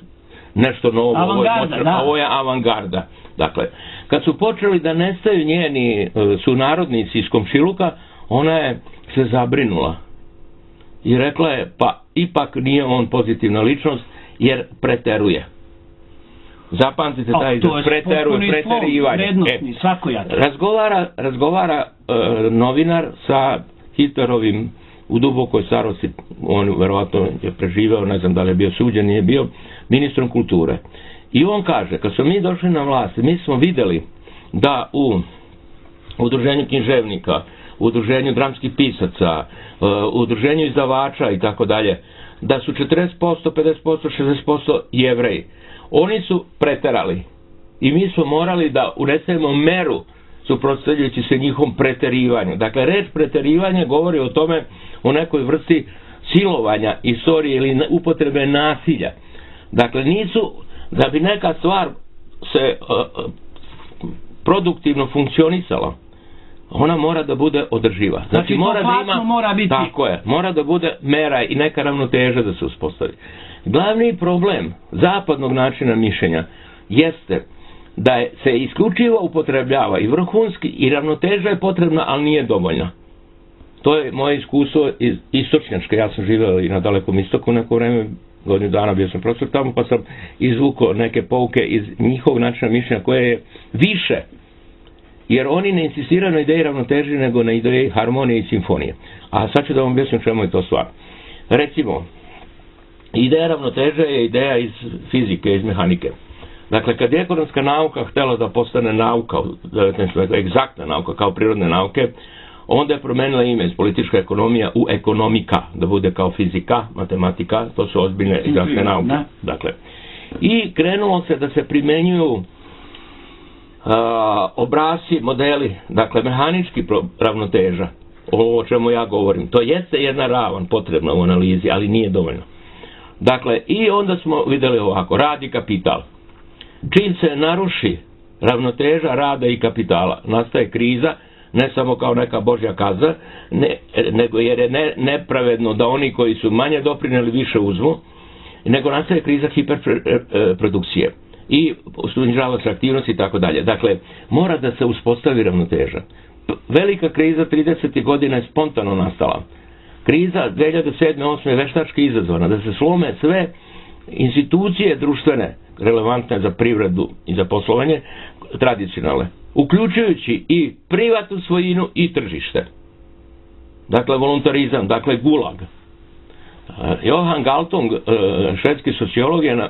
nešto novo, ovo je, moćno, ovo je avangarda. Dakle, kad su počeli da nestaju njeni sunarodnici iz komšiluka, ona je se zabrinula. I rekla je, pa ipak nije on pozitivna ličnost, jer preteruje. Zapamtite taj izraz, preteruje, preterivanje. E, razgovara razgovara e, novinar sa Hitlerovim u dubokoj starosti, on verovatno je preživeo, ne znam da li je bio suđen, nije bio, ministrom kulture. I on kaže, kad smo mi došli na vlast, mi smo videli da u udruženju književnika, u udruženju dramskih pisaca, u udruženju izdavača i tako dalje, da su četrdeset posto, pedeset posto, šezdeset posto Jevreji. Oni su preterali i mi smo morali da unesemo meru suprotstavljajući se njihovom preterivanju. Dakle, reč preterivanje govori o tome, o nekoj vrsti silovanja istorije ili upotrebe nasilja. Dakle, nisu, da bi neka stvar se uh, produktivno funkcionisala, ona mora da bude održiva. Znači, znači mora da ima, mora biti. Tako je, mora da bude mera i neka ravnoteža da se uspostavi. Glavni problem zapadnog načina mišljenja jeste da je, se isključivo upotrebljava i vrhunski i ravnoteža je potrebna, ali nije dovoljna. To je moje iskustvo iz istočnjačke. Ja sam živeo i na Dalekom istoku neko vreme, godinu dana bio sam profesor tamo, pa sam izvukao neke pouke iz njihovog načina mišljenja koje je više, jer oni ne insistiraju na ideji ravnoteže nego na ideji harmonije i simfonije. A sad ću da vam objasnim čemu je to stvar. Recimo, ideja ravnoteže je ideja iz fizike, iz mehanike. Dakle, kad je ekonomska nauka htjela da postane nauka, egzaktna nauka kao prirodne nauke, onda je promenila ime iz politička ekonomija u ekonomika, da bude kao fizika, matematika, to su ozbiljne egzaktne nauke. Dakle, i krenulo se da se primenjuju a, obrasci, modeli, dakle, mehanički ravnoteža, ovo o čemu ja govorim. To jeste jedna ravan potrebna u analizi, ali nije dovoljno. Dakle, i onda smo vidjeli ovako, rad i kapital. Čim se naruši ravnoteža rada i kapitala, nastaje kriza, ne samo kao neka božja kaza, ne, nego jer je ne, nepravedno da oni koji su manje doprineli više uzmu, nego nastaje kriza hiperprodukcije i snižava se aktivnost i tako dalje. Dakle, mora da se uspostavi ravnoteža. Velika kriza tridesetih godina je spontano nastala. Kriza dve hiljade sedme osme je veštački izazvana, da se slome sve institucije društvene relevantne za privredu i za poslovanje, tradicionalne, uključujući i privatnu svojinu i tržište. Dakle, voluntarizam, dakle, gulag. Johan Galtung, švedski sociolog, je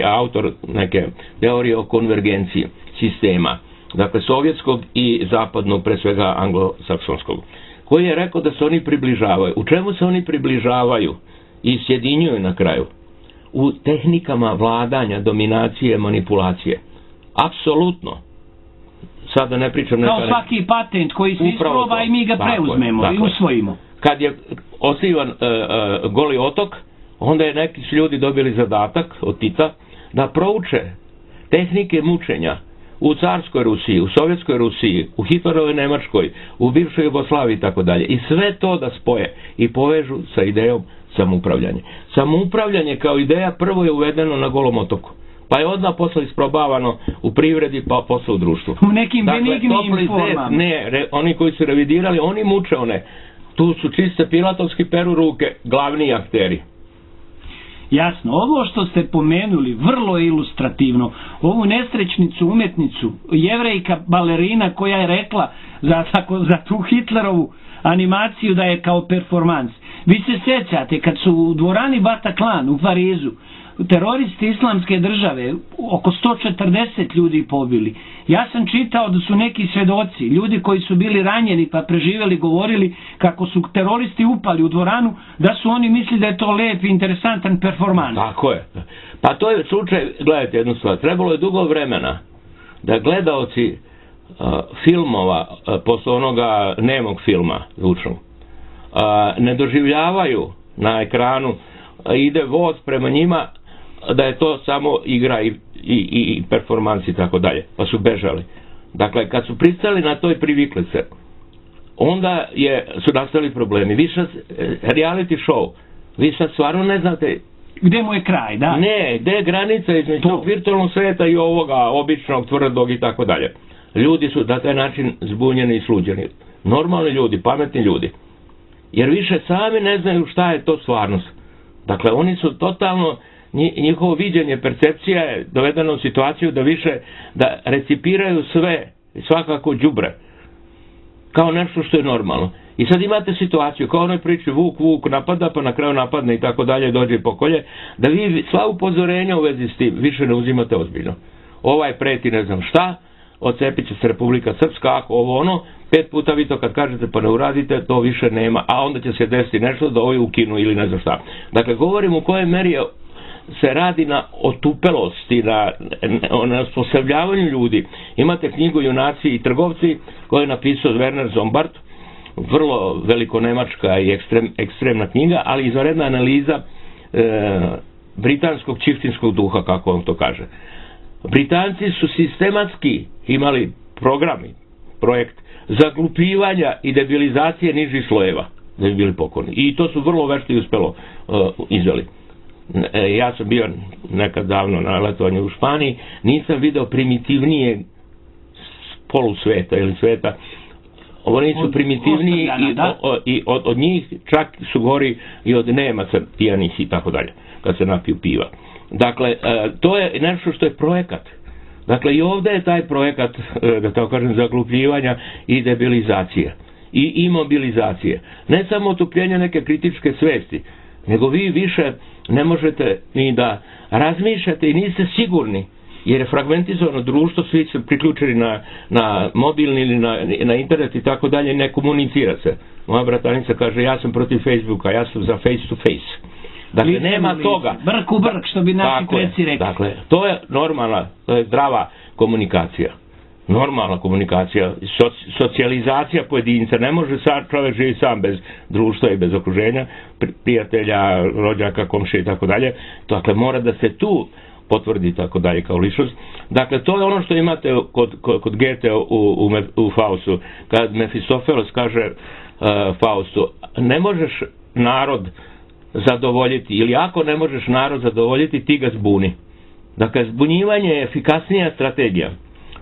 autor neke teorije o konvergenciji sistema, dakle, sovjetskog i zapadnog, pre svega anglosaksonskog, koji je rekao da se oni približavaju. U čemu se oni približavaju i sjedinjuju na kraju? U tehnikama vladanja, dominacije, manipulacije. Apsolutno. Sada ne pričam... Kao neka... svaki patent koji se isproba i mi ga preuzmemo i usvojimo. Kad je osnivan uh, uh, Goli otok, onda je neki ljudi dobili zadatak od Tita da prouče tehnike mučenja u carskoj Rusiji, u sovjetskoj Rusiji, u Hitlerovoj Nemačkoj, u bivšoj Jugoslaviji i tako dalje. I sve to da spoje i povežu sa idejom samoupravljanja. Samoupravljanje kao ideja prvo je uvedeno na Golom otoku, pa je odmah posle isprobavano u privredi, pa posle u društvu. U nekim dakle, benignim formama. Ne, re, oni koji su revidirali, oni muče one. Tu su čiste pilatovski peru ruke, glavni akteri. Jasno, ovo što ste pomenuli, vrlo je ilustrativno. Ovu nesrećnicu, umetnicu, jevrejka balerina koja je rekla za, tako, za tu Hitlerovu animaciju da je kao performans. Vi se sjećate kad su u dvorani Bataclan u Parizu teroristi islamske države oko sto četrdeset ljudi pobili. Ja sam čitao da su neki svedoci, ljudi koji su bili ranjeni pa preživjeli, govorili kako su teroristi upali u dvoranu, da su oni mislili da je to lep i interesantan performans. Tako je. Pa to je slučaj, gledajte jednu stvar, trebalo je dugo vremena da gledaoci uh, filmova, uh, posle onoga nemog filma zvučnog, uh, ne doživljavaju na ekranu, uh, ide voz prema njima, da je to samo igra i, i, i performans i tako dalje, pa su bežali. Dakle, kad su pristali na to i privikli se, onda je, su nastali problemi. Vi sad, reality show, vi sad stvarno ne znate... Gde mu je kraj, da? Ne, gde je granica između tog virtualnog sveta i ovoga običnog, tvrdog i tako dalje. Ljudi su na taj način zbunjeni i sluđeni. Normalni ljudi, pametni ljudi. Jer više sami ne znaju šta je to stvarnost. Dakle, oni su totalno... njihovo viđenje, percepcija je dovedena u situaciju da više, da recipiraju sve, svakako đubre, kao nešto što je normalno. I sad imate situaciju, kao onoj priči Vuk, Vuk napada, pa na kraju napadne i tako dalje, dođe i pokolje, da vi sva upozorenja u vezi s tim više ne uzimate ozbiljno. Ovaj preti ne znam šta, odcepit će se Republika Srpska, ako ovo ono, pet puta vi to kad kažete pa ne uradite, to više nema, a onda će se desiti nešto da ovi ukinu ili ne znam šta. Dakle, govorim u kojoj meri je se radi na otupelosti, na, na osposobljavanju ljudi. Imate knjigu Junaci i trgovci koju je napisao Werner Zombart, vrlo velikonemačka i ekstrem, ekstremna knjiga, ali izvanredna analiza e, britanskog čiftinskog duha, kako on to kaže. Britanci su sistematski imali programi, projekt zaglupljivanja i debilizacije nižih slojeva, da bi bili pokorni. I to su vrlo vešto i uspelo e, izveli. Ja sam bio nekad davno na letovanju u Španiji, nisam video primitivnije polusveta ili sveta. Oni su primitivniji i, o, i od, od njih čak su gori i od Nemaca pijanih i tako dalje, kad se napiju piva. Dakle, to je nešto što je projekat. Dakle, i ovdje je taj projekat, da tako kažem, zaglupljivanja i debilizacije i imobilizacije. Ne samo otupljenja neke kritičke svesti, nego vi više ne možete ni da razmišljate i niste sigurni jer je fragmentizovano društvo, svi su priključeni na, na mobilni ili na, na internet i tako dalje, ne komunicira se. Moja bratanica kaže, ja sam protiv Facebooka, ja sam za face to face. Dakle, Lice nema lice. toga. Brk u brk, što bi naši preci rekli. Dakle, to je normalna, to je zdrava komunikacija. Normalna komunikacija, soci, socijalizacija pojedinca. Ne može sad čovjek živi sam bez društva i bez okruženja, prijatelja, rođaka, komšije i tako dalje. Dakle, mora da se tu potvrdi tako dalje kao ličnost. Dakle, to je ono što imate kod, kod, kod Goethe u, u, u Faustu. Kad Mefistofeles kaže uh, Faustu, ne možeš narod zadovoljiti, ili ako ne možeš narod zadovoljiti, ti ga zbuni. Dakle, zbunjivanje je efikasnija strategija.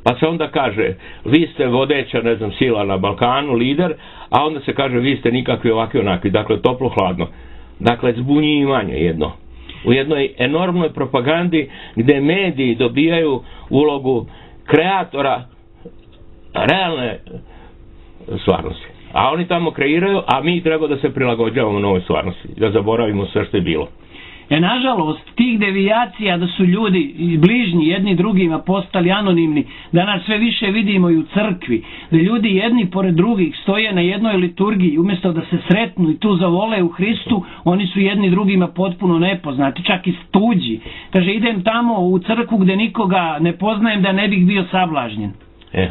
Pa se onda kaže, vi ste vodeća, ne znam, sila na Balkanu, lider, a onda se kaže, vi ste nikakvi ovakvi onakvi. Dakle, toplo-hladno. Dakle, zbunjivanje jedno. U jednoj enormnoj propagandi gdje mediji dobijaju ulogu kreatora realne stvarnosti. A oni tamo kreiraju, a mi treba da se prilagođavamo novoj stvarnosti. Da zaboravimo sve što je bilo. E, nažalost, tih devijacija da su ljudi bližnji jedni drugima postali anonimni, danas sve više vidimo i u crkvi, da ljudi jedni pored drugih stoje na jednoj liturgiji, umjesto da se sretnu i tu zavole u Hristu, oni su jedni drugima potpuno nepoznati, čak i tuđi. Kaže, idem tamo u crkvu gdje nikoga ne poznajem da ne bih bio sablažnjen. E.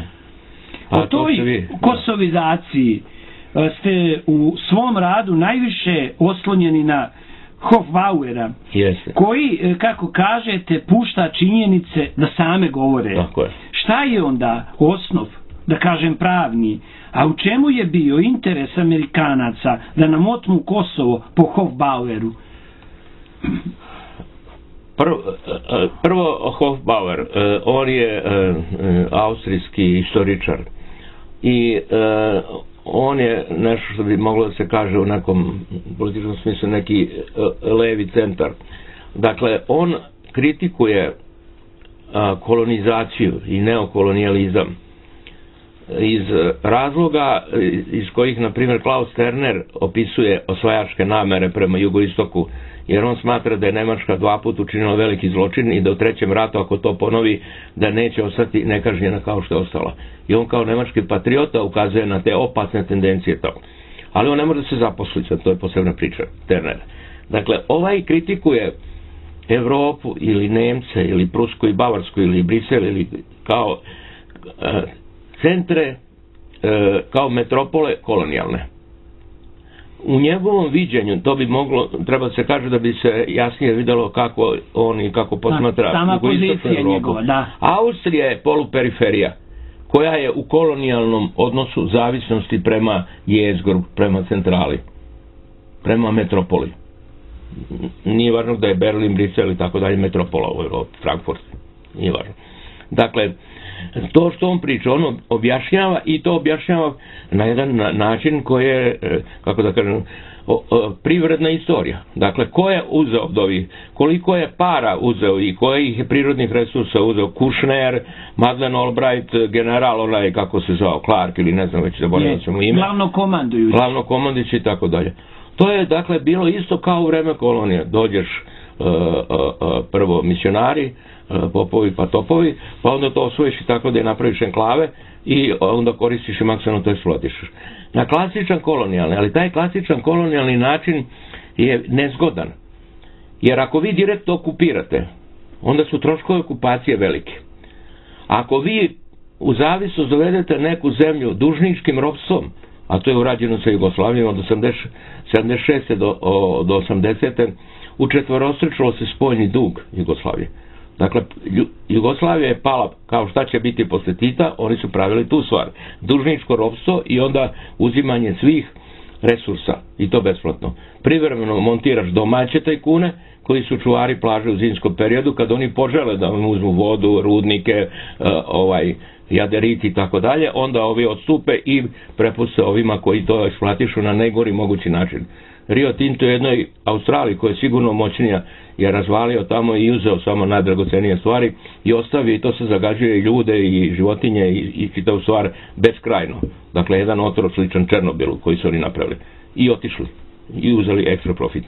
O toj kosovizaciji ste u svom radu najviše oslonjeni na Hofbauera, Jeste. koji, kako kažete, pušta činjenice da same govore. Tako je. Šta je onda osnov, da kažem pravni, a u čemu je bio interes Amerikanaca da nam otmu Kosovo po Hofbaueru? Prvo, prvo Hofbauer, on je austrijski istoričar i on je nešto što bi moglo da se kaže u nekom političkom smislu neki levi centar. Dakle, on kritikuje kolonizaciju i neokolonijalizam iz razloga iz kojih, na primjer, Klaus Sterner opisuje osvajačke namere prema jugoistoku, jer on smatra da je Nemačka dva put učinila veliki zločin i da u trećem ratu, ako to ponovi, da neće ostati nekažnjena kao što je ostala. I on kao nemački patriota ukazuje na te opasne tendencije tamo. Ali on ne može da se zaposli, to je posebna priča, Sterner. Dakle, ovaj kritikuje Evropu ili Nemce ili Prusku i Bavarsku ili Brisel ili kao e, centre, e, kao metropole kolonijalne. U njegovom viđenju, to bi moglo, treba da se kaže da bi se jasnije vidjelo kako on i kako posmatra sama pozicija njegova, da. Austrija je poluperiferija koja je u kolonijalnom odnosu zavisnosti prema jezgru, prema centrali, prema metropoli. Nije važno da je Berlin, Brisel i tako dalje metropola u Evropi, Frankfurt, nije važno. Dakle, to što on priča, on objašnjava i to objašnjava na jedan način koji je, kako da kažem, privredna istorija. Dakle, ko je uzeo od ovih, koliko je para uzeo i kojih je prirodnih resursa uzeo, Kushner, Madeleine Albright, general onaj, kako se zvao, Clark ili ne znam već, zaboravio sam mu ime. Glavno komandujući. Glavno komandujući i tako dalje. To je, dakle, bilo isto kao u vreme kolonije. Dođeš uh, uh, uh, prvo misionari, popovi pa topovi, pa onda to osvojiš i tako da je napraviš enklave i onda koristiš i maksimalno to eksploatišeš. Na klasičan kolonijalni, ali taj klasičan kolonijalni način je nezgodan. Jer ako vi direktno okupirate, onda su troškovi okupacije velike. Ako vi u zavisnost dovedete neku zemlju dužničkim ropstvom, a to je urađeno sa Jugoslavijom od sedamdeset šeste do, do osamdesete učetvorostručilo se spoljni dug Jugoslavije. Dakle, Jugoslavija je pala kao šta će biti posle Tita, oni su pravili tu stvar. Dužničko ropstvo i onda uzimanje svih resursa, i to besplatno. Privremeno montiraš domaće tajkune, koji su čuvari plaže u zimskom periodu, kad oni požele da vam uzmu vodu, rudnike, ovaj, jaderiti i tako dalje, onda ovi odstupe i prepuste ovima koji to eksploatišu na najgori mogući način. Rio Tinto je jednoj Australiji, koja je sigurno moćnija, je razvalio tamo i uzeo samo najdragocenije stvari i ostavio, i to se zagađuje i ljude i životinje i, i čitavu stvar beskrajno. Dakle, jedan otrov sličan Černobilu koji su oni napravili. I otišli. I uzeli ekstra profit.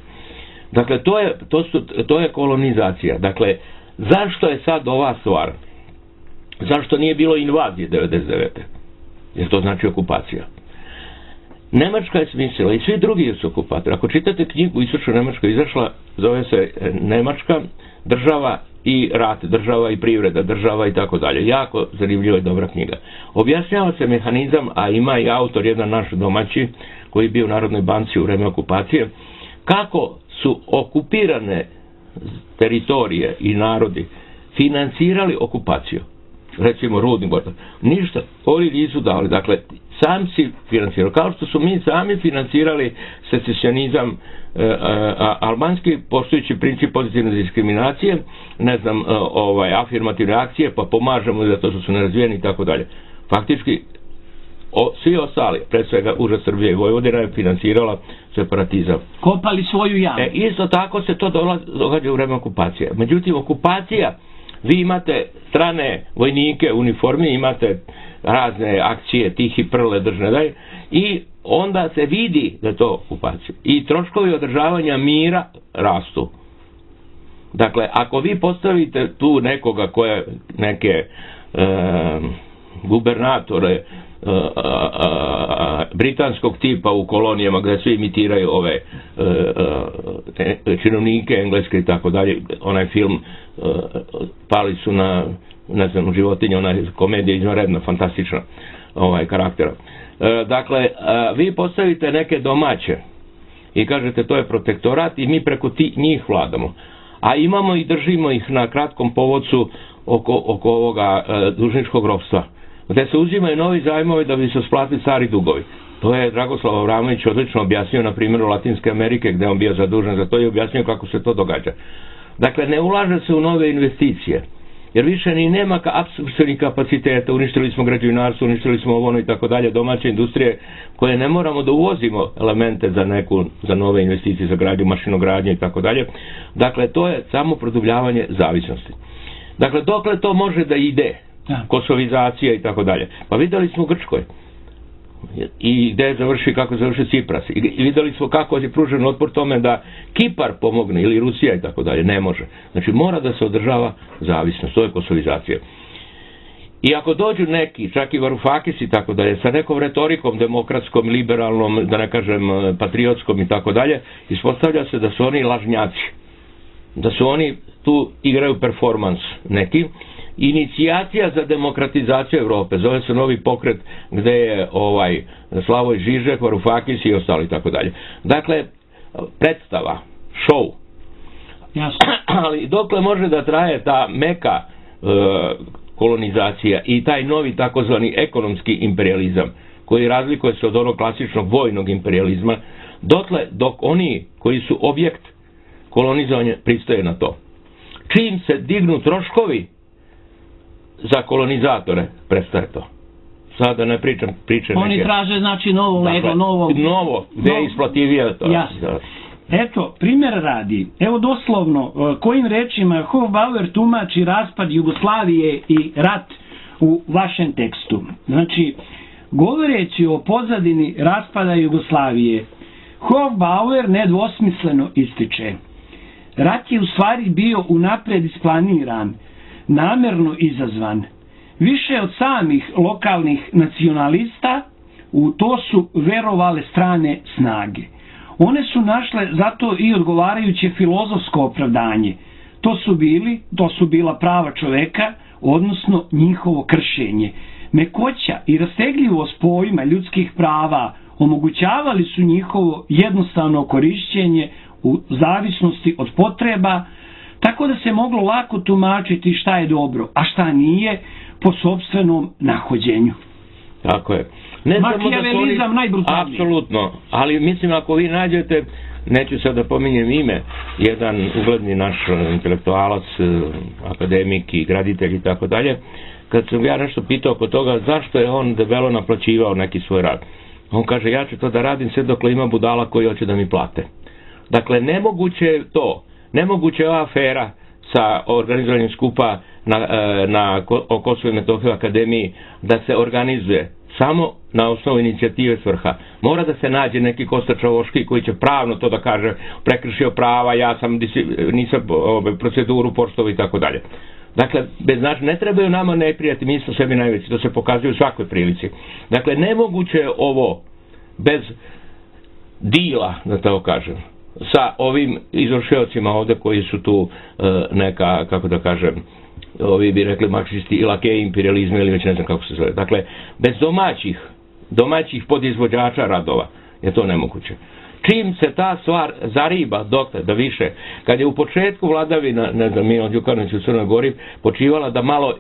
Dakle, to je, to su, to je kolonizacija. Dakle, zašto je sad ova stvar? Zašto nije bilo invazije devedeset devete? Jer to znači okupacija. Nemačka je smislila i svi drugi su okupatori. Ako čitate knjigu Istočno Nemačka izašla, zove se Nemačka, država i rat, država i privreda, država i tako dalje. Jako zanimljiva i dobra knjiga. Objašnjava se mehanizam, a ima i autor, jedan naš domaći, koji je bio u Narodnoj banci u vreme okupacije, kako su okupirane teritorije i narodi financirali okupaciju. Recimo Rudni Boran. Ništa, oni nisu dali. Dakle, sam si financirao. Kao što su mi sami financirali secesionizam e, e, albanski, poštujući princip pozitivne diskriminacije, ne znam, e, ovaj, afirmativne akcije, pa pomažemo zato što su nerazvijeni i tako dalje. Faktički, o, svi ostali, pred svega uža Srbije i Vojvodina je financirala separatizam. Kopali svoju jamu. E, isto tako se to događa u vreme okupacije. Međutim, okupacija, vi imate strane vojnike u uniformi, imate razne akcije, tihi prle, držne daj, i onda se vidi da je to okupacija. I troškovi održavanja mira rastu. Dakle, ako vi postavite tu nekoga koje, neke e, gubernatore e, britanskog tipa u kolonijama gdje svi imitiraju ove e, e, činovnike engleske i tako dalje, onaj film e, pali su na, ne znam, životinje, ona komedija izvanredna, fantastična ovaj, karaktera. E, dakle, e, vi postavite neke domaće i kažete to je protektorat i mi preko ti, njih vladamo. A imamo i držimo ih na kratkom povodcu oko, oko ovoga e, dužničkog ropstva, gde se uzimaju novi zajmovi da bi se splatili stari dugovi. To je Dragoslav Avramović odlično objasnio na primjeru Latinske Amerike, gde on bio zadužen za to i objasnio kako se to događa. Dakle, ne ulaže se u nove investicije, jer više ni nema apsorpcijskih kapaciteta, uništili smo građevinarstvo, uništili smo ovo i tako dalje, domaće industrije koje ne moramo da uvozimo elemente za neku, za nove investicije, za gradnju, mašinogradnje i tako dalje. Dakle, to je samo produbljavanje zavisnosti. Dakle, dokle to može da ide? Kosovizacija i tako dalje. Pa videli smo u Grčkoj i gde završi, kako završi Cipras, i videli smo kako je pružen otpor tome da Kipar pomogne ili Rusija i tako dalje. Ne može. Znači mora da se održava zavisnost, to je kosovizacija. I ako dođu neki, čak i Varoufakis i tako dalje, sa nekom retorikom demokratskom, liberalnom, da ne kažem patriotskom i tako dalje, ispostavlja se da su oni lažnjaci, da su oni tu igraju performans neki. Inicijacija za demokratizaciju Evrope, zove se Novi pokret, gde je ovaj Slavoj Žižek, Varoufakis i ostali tako dalje. Dakle, predstava, show. Jasno. Ali dokle može da traje ta meka e, kolonizacija i taj novi takozvani ekonomski imperializam, koji razlikuje se od onog klasičnog vojnog imperializma, dotle dok oni koji su objekt kolonizovanja pristaje na to. Čim se dignu troškovi za kolonizatore, prestaje to. Sada ne pričam priče neke. Oni traže, znači, novo dakle, lego, novo... Novo, gde je isplativije to. Jasno. Da. Eto, primjer radi. Evo doslovno, kojim rečima Hofbauer tumači raspad Jugoslavije i rat u vašem tekstu. Znači, govoreći o pozadini raspada Jugoslavije, Hofbauer nedvosmisleno ističe: rat je u stvari bio unapred isplaniran, namerno izazvan. Više od samih lokalnih nacionalista u to su verovale strane snage. One su našle zato i odgovarajuće filozofsko opravdanje. To su bili, to su bila prava čoveka, odnosno njihovo kršenje. Mekoća i rastegljivost pojma ljudskih prava omogućavali su njihovo jednostavno korišćenje u zavisnosti od potreba, tako da se moglo lako tumačiti šta je dobro, a šta nije, po sopstvenom nahođenju. Tako je. Ne Makijavelizam oni... najbrutalniji. Apsolutno, ali mislim ako vi nađete, neću sad da pominjem ime, jedan ugledni naš intelektualac, akademik i graditelj i tako dalje, kad sam ja nešto pitao oko toga zašto je on debelo naplaćivao neki svoj rad, on kaže ja ću to da radim sve dok ima budala koji hoće da mi plate. Dakle, nemoguće je to, nemoguće je ova afera sa organizovanjem skupa na, na Kosovo i Metohiju akademiji da se organizuje samo na osnovu inicijative svrha. Mora da se nađe neki Kosta Čavoški koji će pravno to da kaže, prekršio prava, ja sam nisam proceduru poštovao i tako dalje. Dakle, bez znači, ne trebaju nama neprijati, mi smo sebi najveći, to se pokazuje u svakoj prilici. Dakle, nemoguće je ovo bez dila, da tako kažem, sa ovim izvršiocima ovde koji su tu neka, kako da kažem, ovi bi rekli marksisti i lakeji imperializma ili već ne znam kako se zove. Dakle, bez domaćih, domaćih podizvođača radova je to nemoguće. Čim se ta stvar zariba dokle da više, kad je u početku vladavina, ne znam, Milo Đukanović u Crnoj Gori, počivala da malo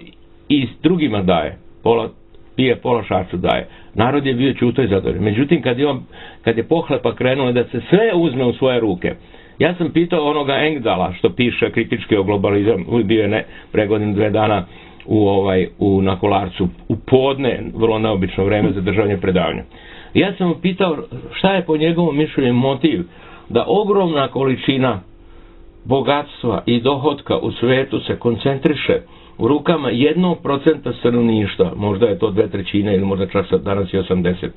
i drugima daje, pola pije, pola šarcu daje. Narod je bio ćuto i zadovoljan. Međutim, kad je, on, kad je pohlepa krenulo da se sve uzme u svoje ruke, ja sam pitao onoga Engdala što piše kritički o globalizam, bio je ne, pre godinu dve dana u, ovaj, u, na Kolarcu, u podne, vrlo neobično vreme za državanje predavanja. Ja sam mu pitao šta je po njegovom mišljenju motiv da ogromna količina bogatstva i dohotka u svetu se koncentriše u rukama jednog procenta stanovništva, možda je to dve trećine ili možda čak danas i osamdeset.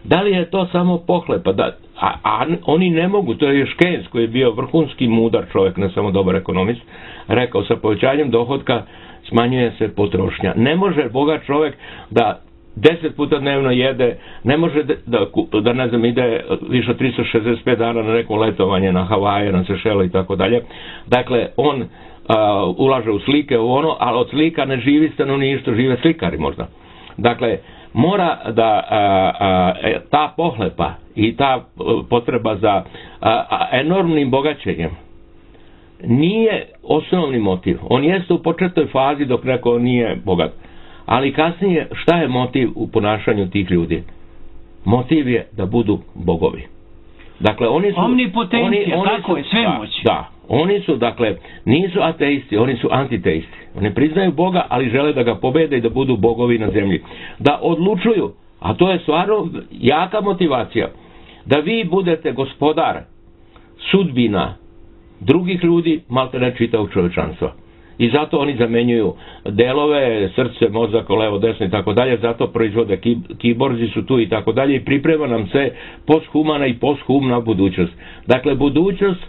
Da li je to samo pohlepa? Da, a, a oni ne mogu, to je još Keynes koji je bio vrhunski mudar čovjek, ne samo dobar ekonomist, rekao sa povećanjem dohotka smanjuje se potrošnja. Ne može bogat čovjek da deset puta dnevno jede, ne može da, da, da ne znam, ide više od tristo šezdeset pet dana na neko letovanje na Havaje, na Sešele i tako dalje. Dakle, on a, ulaže u slike, u ono, ali od slika ne živi stanovništvo, žive slikari možda. Dakle, mora da a, a, ta pohlepa i ta potreba za a, a, enormnim bogaćenjem nije osnovni motiv. On jeste u početnoj fazi dok neko nije bogat. Ali kasnije, šta je motiv u ponašanju tih ljudi? Motiv je da budu bogovi. Dakle, oni su... Omnipotencija, oni, oni tako su, je, svemoć. Da, da, oni su, dakle, nisu ateisti, oni su antiteisti. Oni priznaju Boga, ali žele da ga pobede i da budu bogovi na zemlji. Da odlučuju, a to je stvarno jaka motivacija, da vi budete gospodar sudbina drugih ljudi, malte ne čitavog čovečanstva. I zato oni zamenjuju delove, srce, mozak, levo, desno i tako dalje, zato proizvode kiborzi su tu i tako dalje i priprema nam se posthumana i posthumna budućnost. Dakle, budućnost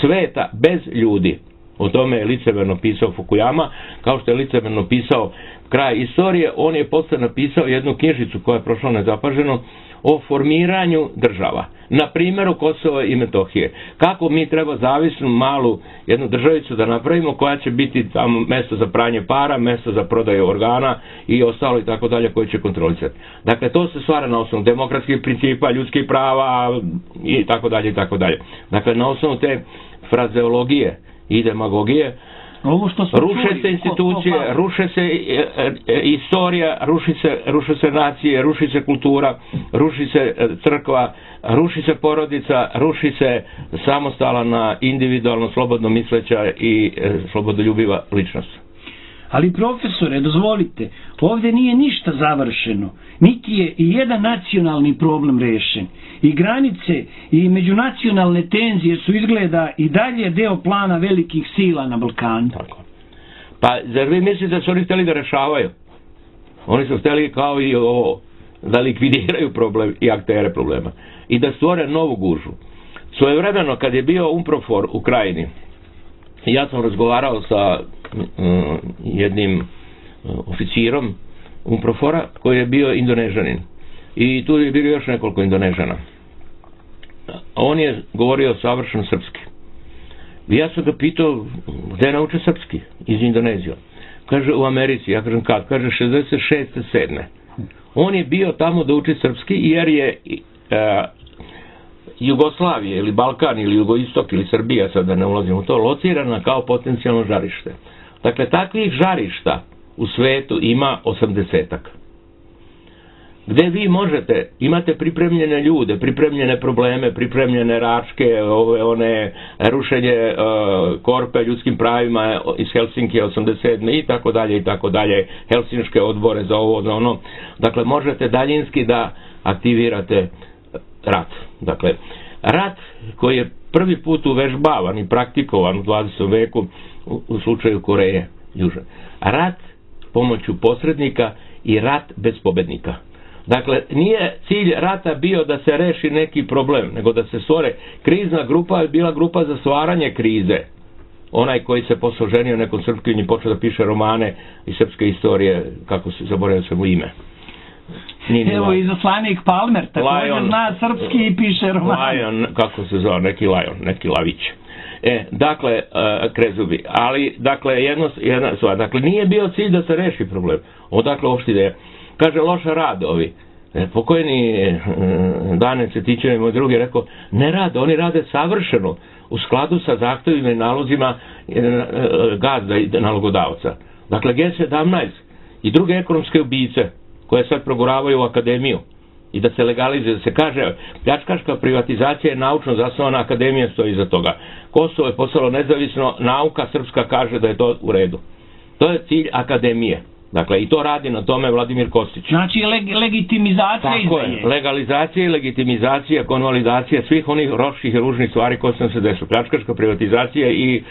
sveta bez ljudi. O tome je licemerno pisao Fukuyama, kao što je licemerno pisao Kraj istorije, on je posle napisao jednu knjižicu koja je prošla nezapaženo o formiranju država. Na primjeru Kosova i Metohije. Kako mi treba zavisnu malu jednu državicu da napravimo koja će biti tamo mesto za pranje para, mesto za prodaju organa i ostalo i tako dalje koje će kontrolisati. Dakle, to se stvara na osnovu demokratskih principa, ljudskih prava i tako dalje i tako dalje. Dakle, na osnovu te frazeologije i demagogije Ovo što ruše čuli, se institucije, ko, ko ruše se e, e, istorija, ruši se, ruše se nacije, ruši se kultura, ruši se crkva, ruši se porodica, ruši se samostalna, individualno, slobodno misleća i e, slobodoljubiva ličnost. Ali profesore, dozvolite, ovdje nije ništa završeno, niti je i jedan nacionalni problem rešen. I granice i međunacionalne tenzije su izgleda i dalje deo plana velikih sila na Balkanu. Tako. Pa, zar vi mislite da su oni htjeli da rešavaju? Oni su htjeli kao i ovo, da likvidiraju problem i aktere problema. I da stvore novu gužu. Svojevremeno, kad je bio UNPROFOR u Krajini, ja sam razgovarao sa um, jednim uh, oficirom UNPROFOR-a koji je bio Indonežanin. I tu je bilo još nekoliko Indonežana. On je govorio savršeno srpski. I ja sam ga pitao gde nauče srpski iz Indonezije. Kaže u Americi, ja kažem kad? Kaže šezdeset šeste sedme On je bio tamo da uči srpski jer je uh, Jugoslavije ili Balkan ili Jugoistok ili Srbija, sad da ne ulazim u to, locirana kao potencijalno žarište. Dakle, takvih žarišta u svetu ima osamdesetak. Gde vi možete, imate pripremljene ljude, pripremljene probleme, pripremljene račke, ove, one, rušenje uh, korpe ljudskim pravima iz Helsinki osamdeset sedme i tako dalje i tako dalje, helsinške odbore za ovo, za ono. Dakle, možete daljinski da aktivirate rat. Dakle, rat koji je prvi put uvežbavan i praktikovan u dvadesetom veku u, u slučaju Koreje Južne. Rat pomoću posrednika i rat bez pobednika. Dakle, nije cilj rata bio da se reši neki problem, nego da se stvore. Krizna grupa je bila grupa za stvaranje krize. Onaj koji se posle ženio nekom Srpkinji počeo da piše romane i srpske istorije, kako se zaboravio sam mu ime. Evo izaslanik Palmer također zna srpski i piše romane. Lion, kako se zove, neki Lion, neki Lavić. E, dakle, uh, Krezubi, ali, dakle, jedno, jedna stvar, dakle, nije bio cilj da se reši problem. Odakle uopšte ideja. Kaže, loša rad ovi. E, pokojni uh, Dane Cetićev i moj drugi rekao, ne rade, oni rade savršeno, u skladu sa zahtevima i nalozima uh, gazda i nalogodavca. Dakle, G sedamnaest i druge ekonomske ubice, koje sad proguravaju u akademiju, i da se legalizuje, da se kaže pljačkaška privatizacija je naučno zasnovana, akademija stoji iza toga. Kosovo je postalo nezavisno, nauka srpska kaže da je to u redu. To je cilj akademije. Dakle, i to radi na tome Vladimir Kostić. Znači, leg legitimizacija Tako je, legalizacija i legitimizacija, konvalidacija svih onih loših i ružnih stvari koje sam se desilo. Pljačkaška privatizacija i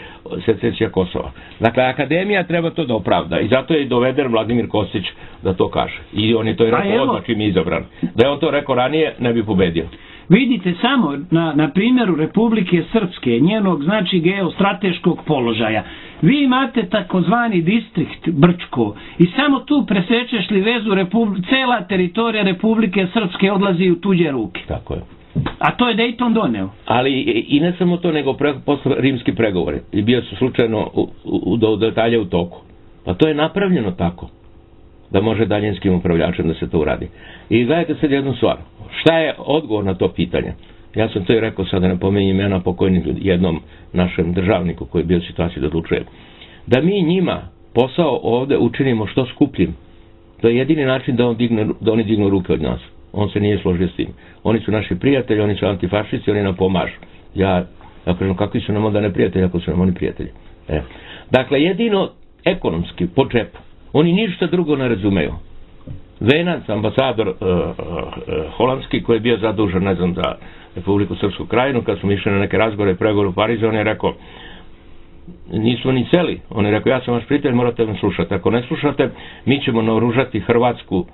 secesija Kosova. Dakle, akademija treba to da opravda i zato je i doveden Vladimir Kostić da to kaže. I on je to i rekao odmah čim je izabran. Da je on to rekao ranije, ne bi pobedio. Vidite samo na, na primjeru Republike Srpske, njenog znači geostrateškog položaja. Vi imate takozvani distrikt Brčko i samo tu presečeš li vezu, cela teritorija Republike Srpske odlazi u tuđe ruke. Tako je. A to je Dayton doneo. Ali i ne samo to, nego pre, posle rimski pregovori. I bio su slučajno u, u, do detalja u toku. Pa to je napravljeno tako da može daljinskim upravljačem da se to uradi. I gledajte sad jednu stvar. Šta je odgovor na to pitanje? Ja sam to i rekao, sada ne pomenjem imena pokojnih jednom našem državniku koji je bio u situaciji da odlučuje. Da mi njima posao ovde učinimo što skupljim. To je jedini način da, on digne, da oni dignu ruke od nas. On se nije složio s tim. Oni su naši prijatelji, oni su antifašisti, oni nam pomažu. Ja, ja kažem, kakvi su nam onda neprijatelji ako su nam oni prijatelji? E. Dakle, jedino ekonomski, po džepu. Oni ništa drugo ne razumeju. Venac, ambasador uh, uh, uh, holandski, koji je bio zadužen, ne znam, za Republiku Srpsku krajinu, kad smo išli na neke razgovore i pregovore u Parizu, on je rekao, nismo ni seli. On je rekao, ja sam vaš prijatelj, morate me slušati. Ako ne slušate, mi ćemo naoružati hrvatsku uh,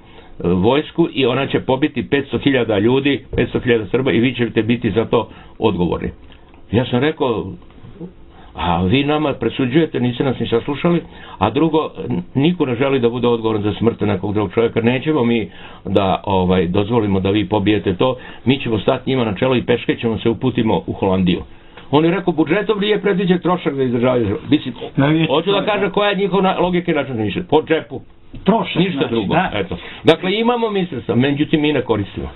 vojsku i ona će pobiti petsto hiljada ljudi, petsto hiljada Srba i vi ćete biti za to odgovorni. Ja sam rekao, a vi nama presuđujete, niste nas ni saslušali, a drugo, niko ne želi da bude odgovoran za smrt nekog drugog čovjeka, nećemo mi da ovaj, dozvolimo da vi pobijete to, mi ćemo stati njima na čelo i peške ćemo se uputimo u Holandiju. On je rekao, budžetom nije predviđen trošak za izdržavanje. Mislim, hoću da kažem koja je njihova logika i način mišljenja. Po džepu. Trošak, ništa znači, drugo. Da. Eto. Dakle, imamo mislstva, međutim mi ne koristimo.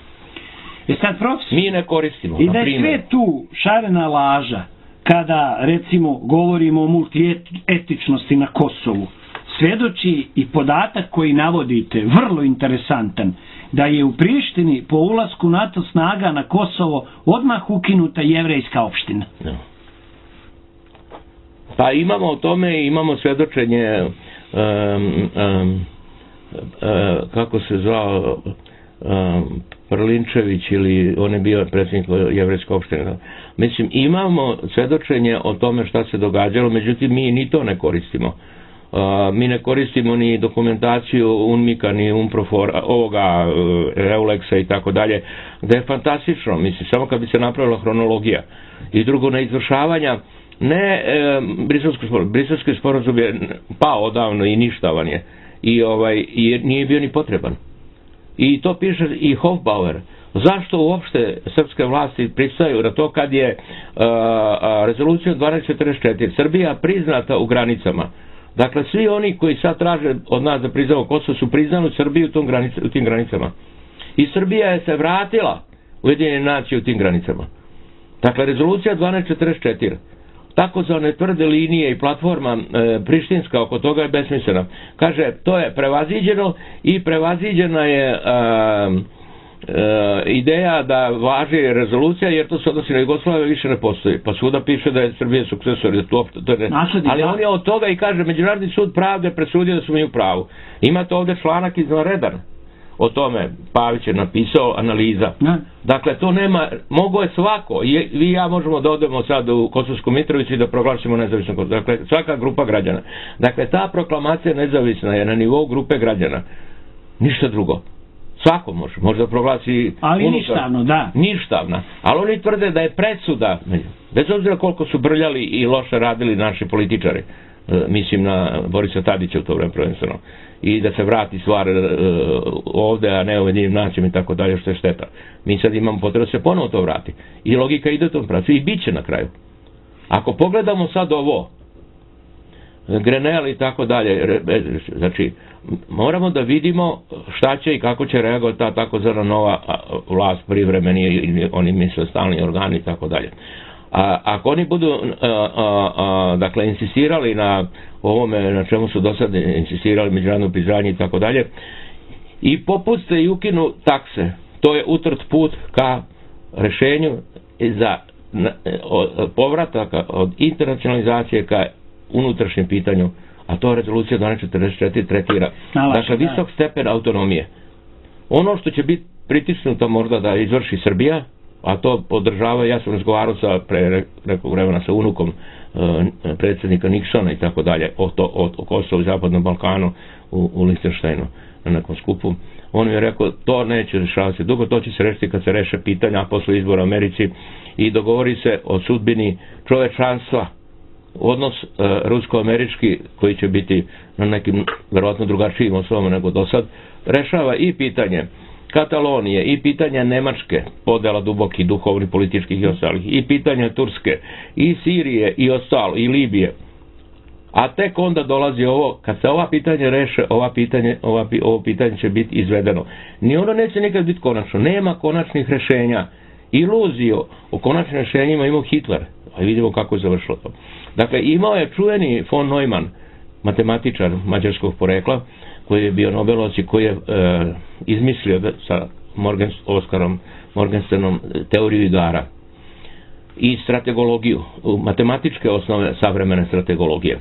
I sad, profesor, mi ne koristimo. I da je sve tu šarena laža, kada, recimo, govorimo o multietičnosti na Kosovu, svedoči i podatak koji navodite, vrlo interesantan, da je u Prištini po ulasku NATO snaga na Kosovo odmah ukinuta jevrejska opština. No. Pa imamo o tome, imamo svedočenje um, um, uh, kako se zvao um, Prlinčević ili on je bio predsjednik jevrejske opštine. Mislim, imamo svedočenje o tome šta se događalo, međutim mi ni to ne koristimo. Uh, mi ne koristimo ni dokumentaciju UNMIK-a, ni UNPROFOR, ovoga uh, EULEX-a i tako dalje, da je fantastično, mislim, samo kad bi se napravila hronologija. I drugo, na izvršavanja, ne e, briselski sporazum, briselski sporazum je pao odavno i ništavan je. I, ovaj, i nije bio ni potreban. I to piše i Hofbauer. Zašto uopšte srpske vlasti pristaju na to kad je uh, rezolucija dvanaest četrdeset četiri Srbija priznata u granicama? Dakle, svi oni koji sad traže od nas da priznamo Kosovo su priznali Srbiju u, tom granic, u tim granicama. I Srbija je se vratila u Ujedinjene nacije u tim granicama. Dakle, rezolucija dvanaest četrdeset četiri takozvane tvrde linije i platforma e, prištinska oko toga je besmislena. Kaže, to je prevaziđeno i prevaziđena je e, e, ideja da važi rezolucija jer to se odnosi na Jugoslaviju više ne postoji. Pa svuda piše da je Srbija sukcesor. Da to, to ne. Ali on je od toga i kaže, Međunarodni sud pravde presudio da su mi u pravu. Imate ovdje članak izvanredan o tome, Pavić je napisao analiza. Ne. Dakle, to nema, mogo je svako, I, vi i ja možemo da odemo sad u Kosovsku Mitrovicu i da proglasimo nezavisno Kosovo. Dakle, svaka grupa građana. Dakle, ta proklamacija nezavisna je na nivou grupe građana. Ništa drugo. Svako može, može da proglasi... Ali unutar, ništavno, da. Ništavna. Ali oni tvrde da je presuda, bez obzira koliko su brljali i loše radili naši političari, mislim na Borisa Tadića u to vreme prvenstveno, i da se vrati stvar ovde, a ne u Ujedinjenim nacijama i tako dalje, što je šteta. Mi sad imamo potrebu da se ponovo to vrati. I logika ide u tom pravcu i bit će na kraju. Ako pogledamo sad ovo, Grenell i tako dalje, znači, moramo da vidimo šta će i kako će reagovati ta takozvana nova vlast, privremeni ili oni misle stalni organi i tako dalje. A ako oni budu a, a, a, dakle insistirali na ovome na čemu su do sada insistirali, međunarodno priznanje i tako dalje, i popuste i ukinu takse, to je utrt put ka rešenju za povrataka od internacionalizacije ka unutrašnjem pitanju, a to rezolucija dvanaest četrdeset četiri tretira. Dakle, visok stepen autonomije. Ono što će biti pritisnuto možda da izvrši Srbija, a to podržava, ja sam razgovarao sa pre nekog vremena sa unukom e, predsjednika Nixona i tako dalje, o, to, o, o Kosovu i Zapadnom Balkanu u, u Lichtensteinu na nekom skupu. On mi je rekao, to neće rešavati dugo, to će se rešiti kad se reše pitanja posle izbora u Americi i dogovori se o sudbini čovečanstva, odnos e, rusko-američki koji će biti na nekim verovatno drugačijim osnovama nego do sad, rešava i pitanje Katalonije, i pitanja Nemačke, podela dubokih duhovnih, političkih i ostalih, i pitanja Turske, i Sirije, i ostalo, i Libije. A tek onda dolazi ovo, kad se ova pitanje reše, ova pitanje, ova, ovo pitanje će biti izvedeno. Ni ono neće nikad biti konačno. Nema konačnih rešenja. Iluziju o konačnim rešenjima imao Hitler. A vidimo kako je završilo to. Dakle, imao je čuveni von Neumann, matematičar mađarskog porekla, koji je bio Nobelovac i koji je e, izmislio da, sa Morgan, Oskarom Morgensternom teoriju igara i strategologiju, matematičke osnove savremene strategologije.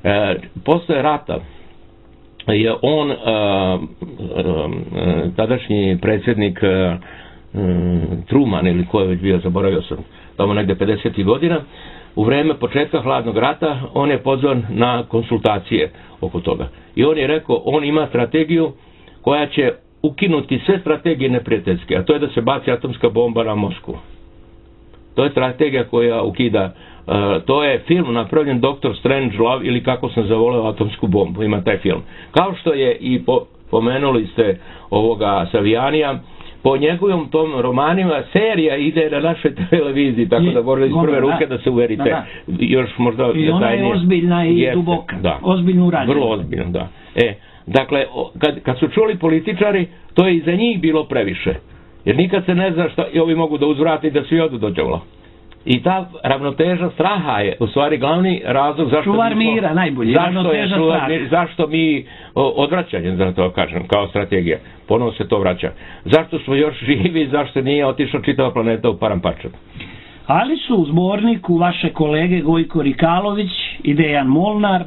E, posle rata je on, e, e, tadašnji predsjednik e, Truman, ili ko je već bio, zaboravio sam, tamo negde pedesetih godina, u vreme početka hladnog rata, on je pozvan na konsultacije oko toga. I on je rekao, on ima strategiju koja će ukinuti sve strategije neprijateljske, a to je da se baci atomska bomba na Moskvu. To je strategija koja ukida, uh, to je film napravljen doktor Strangelove, ili Kako sam zavoleo atomsku bombu, ima taj film. Kao što je i po, pomenuli ste ovoga Savijanija, po njegovom tom romanima serija ide na našoj televiziji, tako da možda iz prve ruke da se uverite. Da, da. Još možda i ona je ozbiljna i jeste, duboka. Da. Ozbiljno urađena. Vrlo ozbiljno, da. E, dakle, kad, kad su čuli političari, to je i za njih bilo previše. Jer nikad se ne zna šta i ovi mogu da uzvrati da svi odu do đavola. I ta ravnoteža straha je u stvari glavni razlog zašto čuvar mira, najbolji, zašto je čuvar mira, zašto mi odvraćanje, da to kažem, kao strategija, ponovo se to vraća. Zašto smo još živi, zašto nije otišla čitava planeta u paramparčan. Ali su u zborniku vaše kolege Gojko Rikalović i Dejan Molnar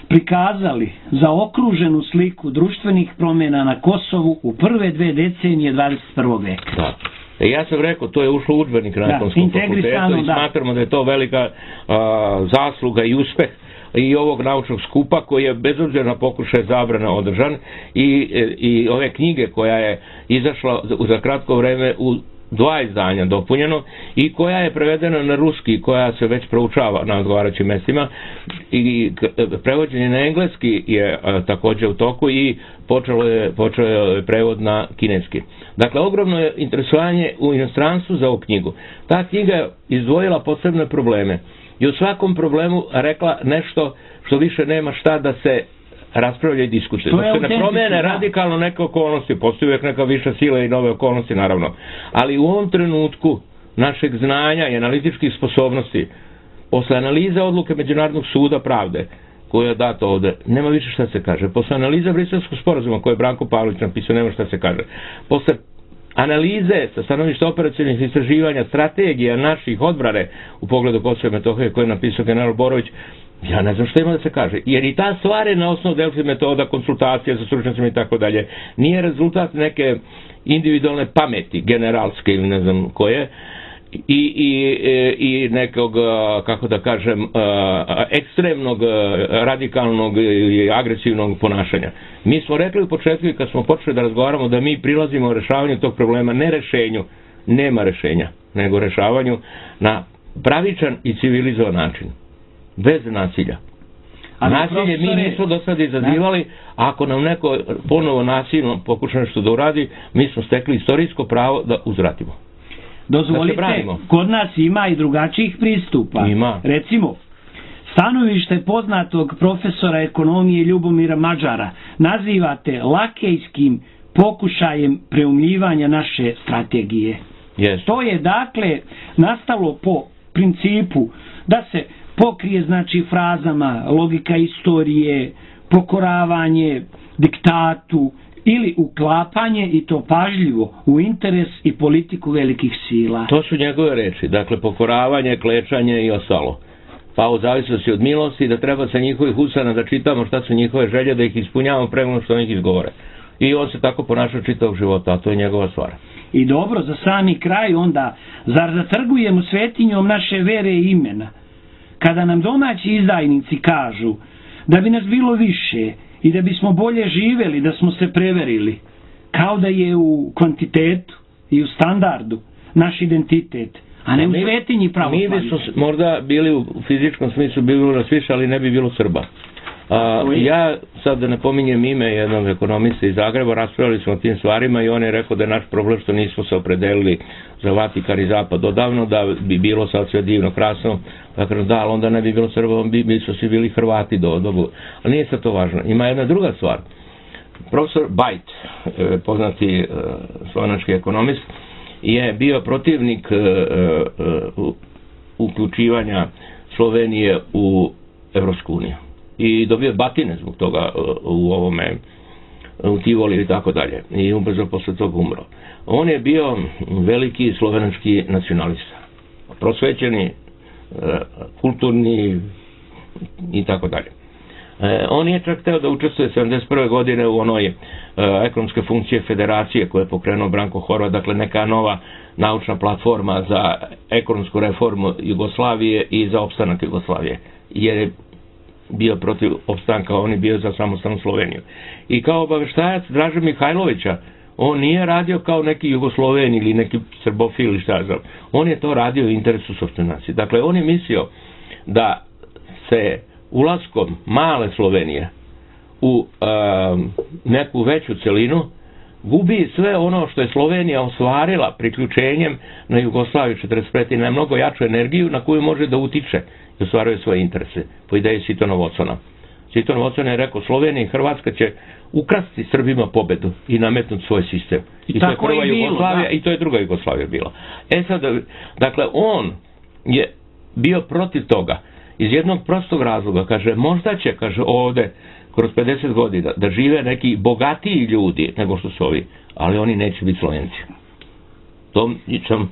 prikazali zaokruženu sliku društvenih promjena na Kosovu u prve dve decenije dvadeset prvog veka. Da. E, ja sam rekao, to je ušlo u udžbenik na Ekonomskom fakultetu i smatramo da je to velika a, zasluga i uspeh i ovog naučnog skupa koji je bez obzira na pokušaj zabrane održan i, i ove knjige koja je izašla za kratko vreme u dva izdanja dopunjeno i koja je prevedena na ruski, koja se već proučava na odgovarajućim mestima i prevođenje na engleski je a, također u toku i počelo je, počeo je prevod na kineski. Dakle, ogromno je interesovanje u inostranstvu za ovu knjigu. Ta knjiga je izdvojila posebne probleme i u svakom problemu rekla nešto što više nema šta da se raspravlja i diskutuje. Dok se ne promene radikalno neke okolnosti, postoji uvijek neka viša sila i nove okolnosti, naravno. Ali u ovom trenutku našeg znanja i analitičkih sposobnosti, posle analize odluke Međunarodnog suda pravde, koje je dato ovde, nema više šta se kaže. Posle analize Briselskog sporazuma koje je Branko Pavlović napisao, nema šta se kaže. Posle analize sa stanovišta operacionalnih istraživanja, strategija naših odbrane u pogledu Kosova i Metohije koje je napisao general Borović, ja ne znam što ima da se kaže. Jer i ta stvar je na osnovu Delfi metoda, konsultacija sa stručnjacima i tako dalje. Nije rezultat neke individualne pameti, generalske ili ne znam koje. i, i, i nekog, kako da kažem, ekstremnog, radikalnog i agresivnog ponašanja. Mi smo rekli u početku kad smo počeli da razgovaramo da mi prilazimo u rešavanju tog problema, ne rešenju, nema rešenja, nego rešavanju na pravičan i civilizovan način, bez nasilja. Ali nasilje mi nismo do sada izazivali, ako nam neko ponovo nasilno pokuša nešto da uradi, mi smo stekli istorijsko pravo da uzvratimo. Dozvolite, da kod nas ima i drugačijih pristupa. Ima. Recimo, stanovište poznatog profesora ekonomije Ljubomira Mađara nazivate lakejskim pokušajem preumljivanja naše strategije. Yes. To je dakle nastalo po principu da se pokrije znači frazama logika istorije, pokoravanje diktatu ili uklapanje i to pažljivo u interes i politiku velikih sila. To su njegove reči, dakle pokoravanje, klečanje i ostalo. Pa u zavisnosti od milosti da treba sa njihovih usana da čitamo šta su njihove želje, da ih ispunjavamo prema što oni ih izgovore. I on se tako ponašao čitavog života, a to je njegova stvar. I dobro, za sami kraj onda, zar zatrgujemo svetinjom naše vere i imena? Kada nam domaći izdajnici kažu da bi nas bilo više i da bismo bolje živeli, da smo se preverili, kao da je u kvantitetu i u standardu naš identitet, a ne u svetinji pravoslavlja. Mi bismo možda bili u fizičkom smislu bili nas više, ali ne bi bilo Srba. A, ja sad da ne pominjem ime jednog ekonomista iz Zagreba, raspravili smo o tim stvarima i on je rekao da je naš problem što nismo se opredelili za Vatikan i Zapad odavno, da bi bilo sad sve divno, krasno, dakle da, ali onda ne bi bilo Srba, bi, bi su svi bili Hrvati do dobu. Ali nije sad to važno. Ima jedna druga stvar. Profesor Bajt, poznati slovenački ekonomist, je bio protivnik uključivanja Slovenije u Evropsku uniju. I dobio batine zbog toga u ovome, u Tivoli i tako dalje. I ubrzo posle toga umro. On je bio veliki slovenački nacionalista. Prosvećeni, kulturni i tako dalje. On je čak teo da učestvuje sedamdeset prve godine u onoj ekonomske funkcije federacije koje je pokrenuo Branko Horvat, dakle neka nova naučna platforma za ekonomsku reformu Jugoslavije i za opstanak Jugoslavije. Jer je bio protiv opstanka, on je bio za samostalnu Sloveniju. I kao obaveštajac Draže Mihajlovića, on nije radio kao neki Jugosloven ili neki Srbofil ili šta znam. On je to radio u interesu sopstvene nacije. Dakle, on je mislio da se ulaskom male Slovenije u um, neku veću celinu gubi sve ono što je Slovenija ostvarila priključenjem na Jugoslaviju četrdeset pete na mnogo jaču energiju na koju može da utiče i ostvaruje svoje interese, po ideji Sitonov Vocona. Sitonov Vocona je rekao, Slovenija i Hrvatska će ukrasti Srbima pobedu i nametnuti svoj sistem. I, I to je prva Jugoslavija i to je druga Jugoslavija bila. E sad, dakle, on je bio protiv toga iz jednog prostog razloga, kaže, možda će, kaže, ovde kroz pedeset godina da žive neki bogatiji ljudi nego što su ovi, ali oni neće biti Slovenci. To sam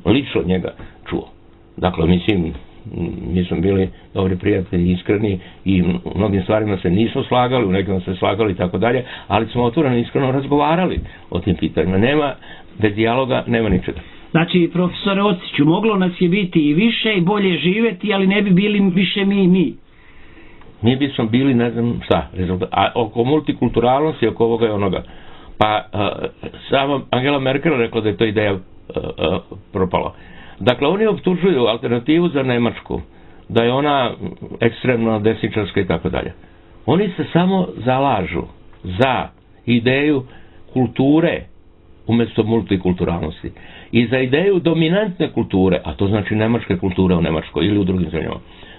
lično njega čuo. Dakle, mislim, mi smo bili dobri prijatelji, iskreni i u mnogim stvarima se nismo slagali, u nekim se slagali i tako dalje, ali smo otvoreno iskreno razgovarali o tim pitanjima. Nema, bez dijaloga nema ničega. Znači, profesore Ociću, moglo nas je biti i više i bolje živeti, ali ne bi bili više mi i mi. Mi bismo bili, ne znam šta, rezultat. A oko multikulturalnosti, oko ovoga i onoga. Pa, a, sama Angela Merkel rekla da je to ideja a, a, propala. Dakle, oni optužuju alternativu za Nemačku, da je ona ekstremno desničarska i tako dalje. Oni se samo zalažu za ideju kulture umjesto multikulturalnosti. I za ideju dominantne kulture, a to znači nemačke kulture u Nemačkoj ili u drugim zemljama.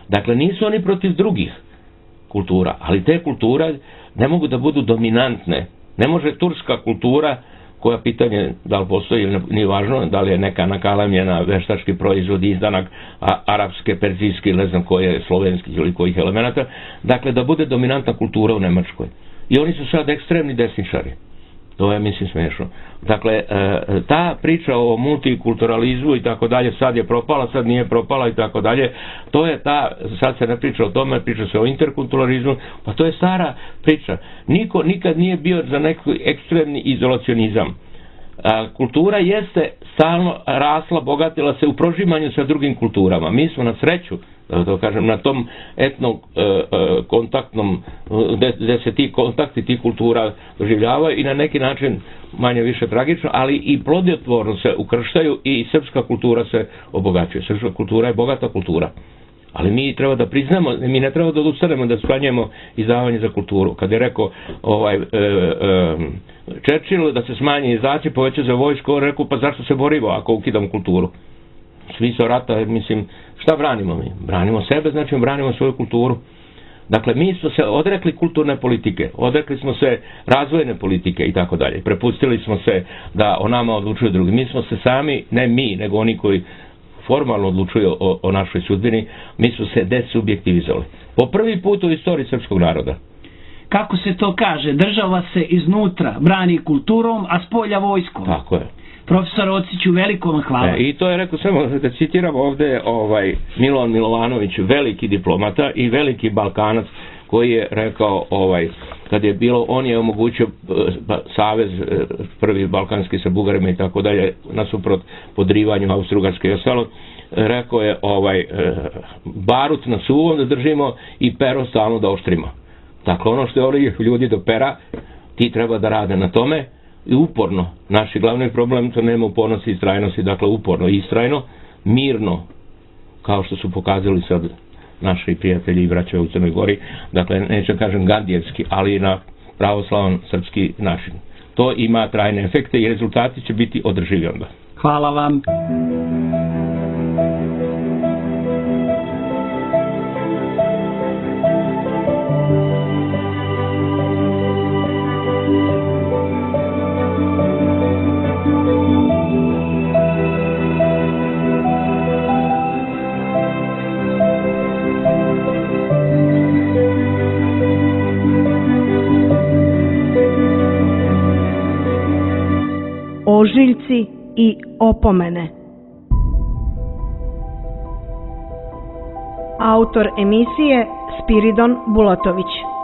Dakle, nisu oni protiv drugih kultura, ali te kulture ne mogu da budu dominantne. Ne može turska kultura, koja pitanje da li postoji ili nije važno, da li je neka nakalamljena veštački proizvod, izdanak a, arapske, perzijski, ne znam koje, slovenskih ili kojih elemenata, dakle da bude dominantna kultura u Nemačkoj. I oni su sad ekstremni desničari. To je, mislim, smiješno. Dakle, ta priča o multikulturalizmu i tako dalje, sad je propala, sad nije propala i tako dalje, to je ta, sad se ne priča o tome, priča se o interkulturalizmu, pa to je stara priča. Niko nikad nije bio za neki ekstremni izolacionizam. A, kultura jeste stalno rasla, bogatila se u prožimanju sa drugim kulturama. Mi smo na sreću, da to kažem, na tom etno e, e, kontaktnom, gde, gde se ti kontakti, ti kultura doživljavaju i na neki način manje više tragično, ali i plodotvorno se ukrštaju i srpska kultura se obogaćuje. Srpska kultura je bogata kultura. Ali mi treba da priznamo, mi ne treba da odustanemo da smanjujemo izdavanje za kulturu. Kad je rekao ovaj, e, e, Churchill da se smanji izdaci, poveća za vojsku, on rekao pa zašto se borimo ako ukidamo kulturu? Smisao rata, mislim, šta branimo mi? Branimo sebe, znači branimo svoju kulturu. Dakle, mi smo se odrekli kulturne politike, odrekli smo se razvojne politike i tako dalje. Prepustili smo se da o nama odlučuju drugi. Mi smo se sami, ne mi, nego oni koji formalno odlučuju o, o našoj sudbini, mi smo se desubjektivizovali. Po prvi put u istoriji srpskog naroda. Kako se to kaže, država se iznutra brani kulturom, a spolja vojskom. Tako je. Profesor Ociću, veliko vam hvala. E, I to je rekao, samo da citiram ovde ovaj, Milovan Milovanović, veliki diplomata i veliki Balkanac, koji je rekao, ovaj, kad je bilo, on je omogućio savez prvi balkanski sa Bugarima i tako dalje, nasuprot podrivanju Austro-Ugarske i ostalo, rekao je ovaj, barut na suvom da držimo i pero stalno da oštrimo. Dakle, ono što je ovdje ljudi do pera, ti treba da rade na tome i uporno. Naši glavni problem to nema upornosti i istrajnosti, dakle uporno i istrajno, mirno, kao što su pokazali sad naši prijatelji i braće u Crnoj Gori, dakle neću kažem gandijevski, ali na pravoslavan srpski način. To ima trajne efekte i rezultati će biti održivi onda. Hvala vam. Ožiljci i opomene. Autor emisije Spiridon Bulatović.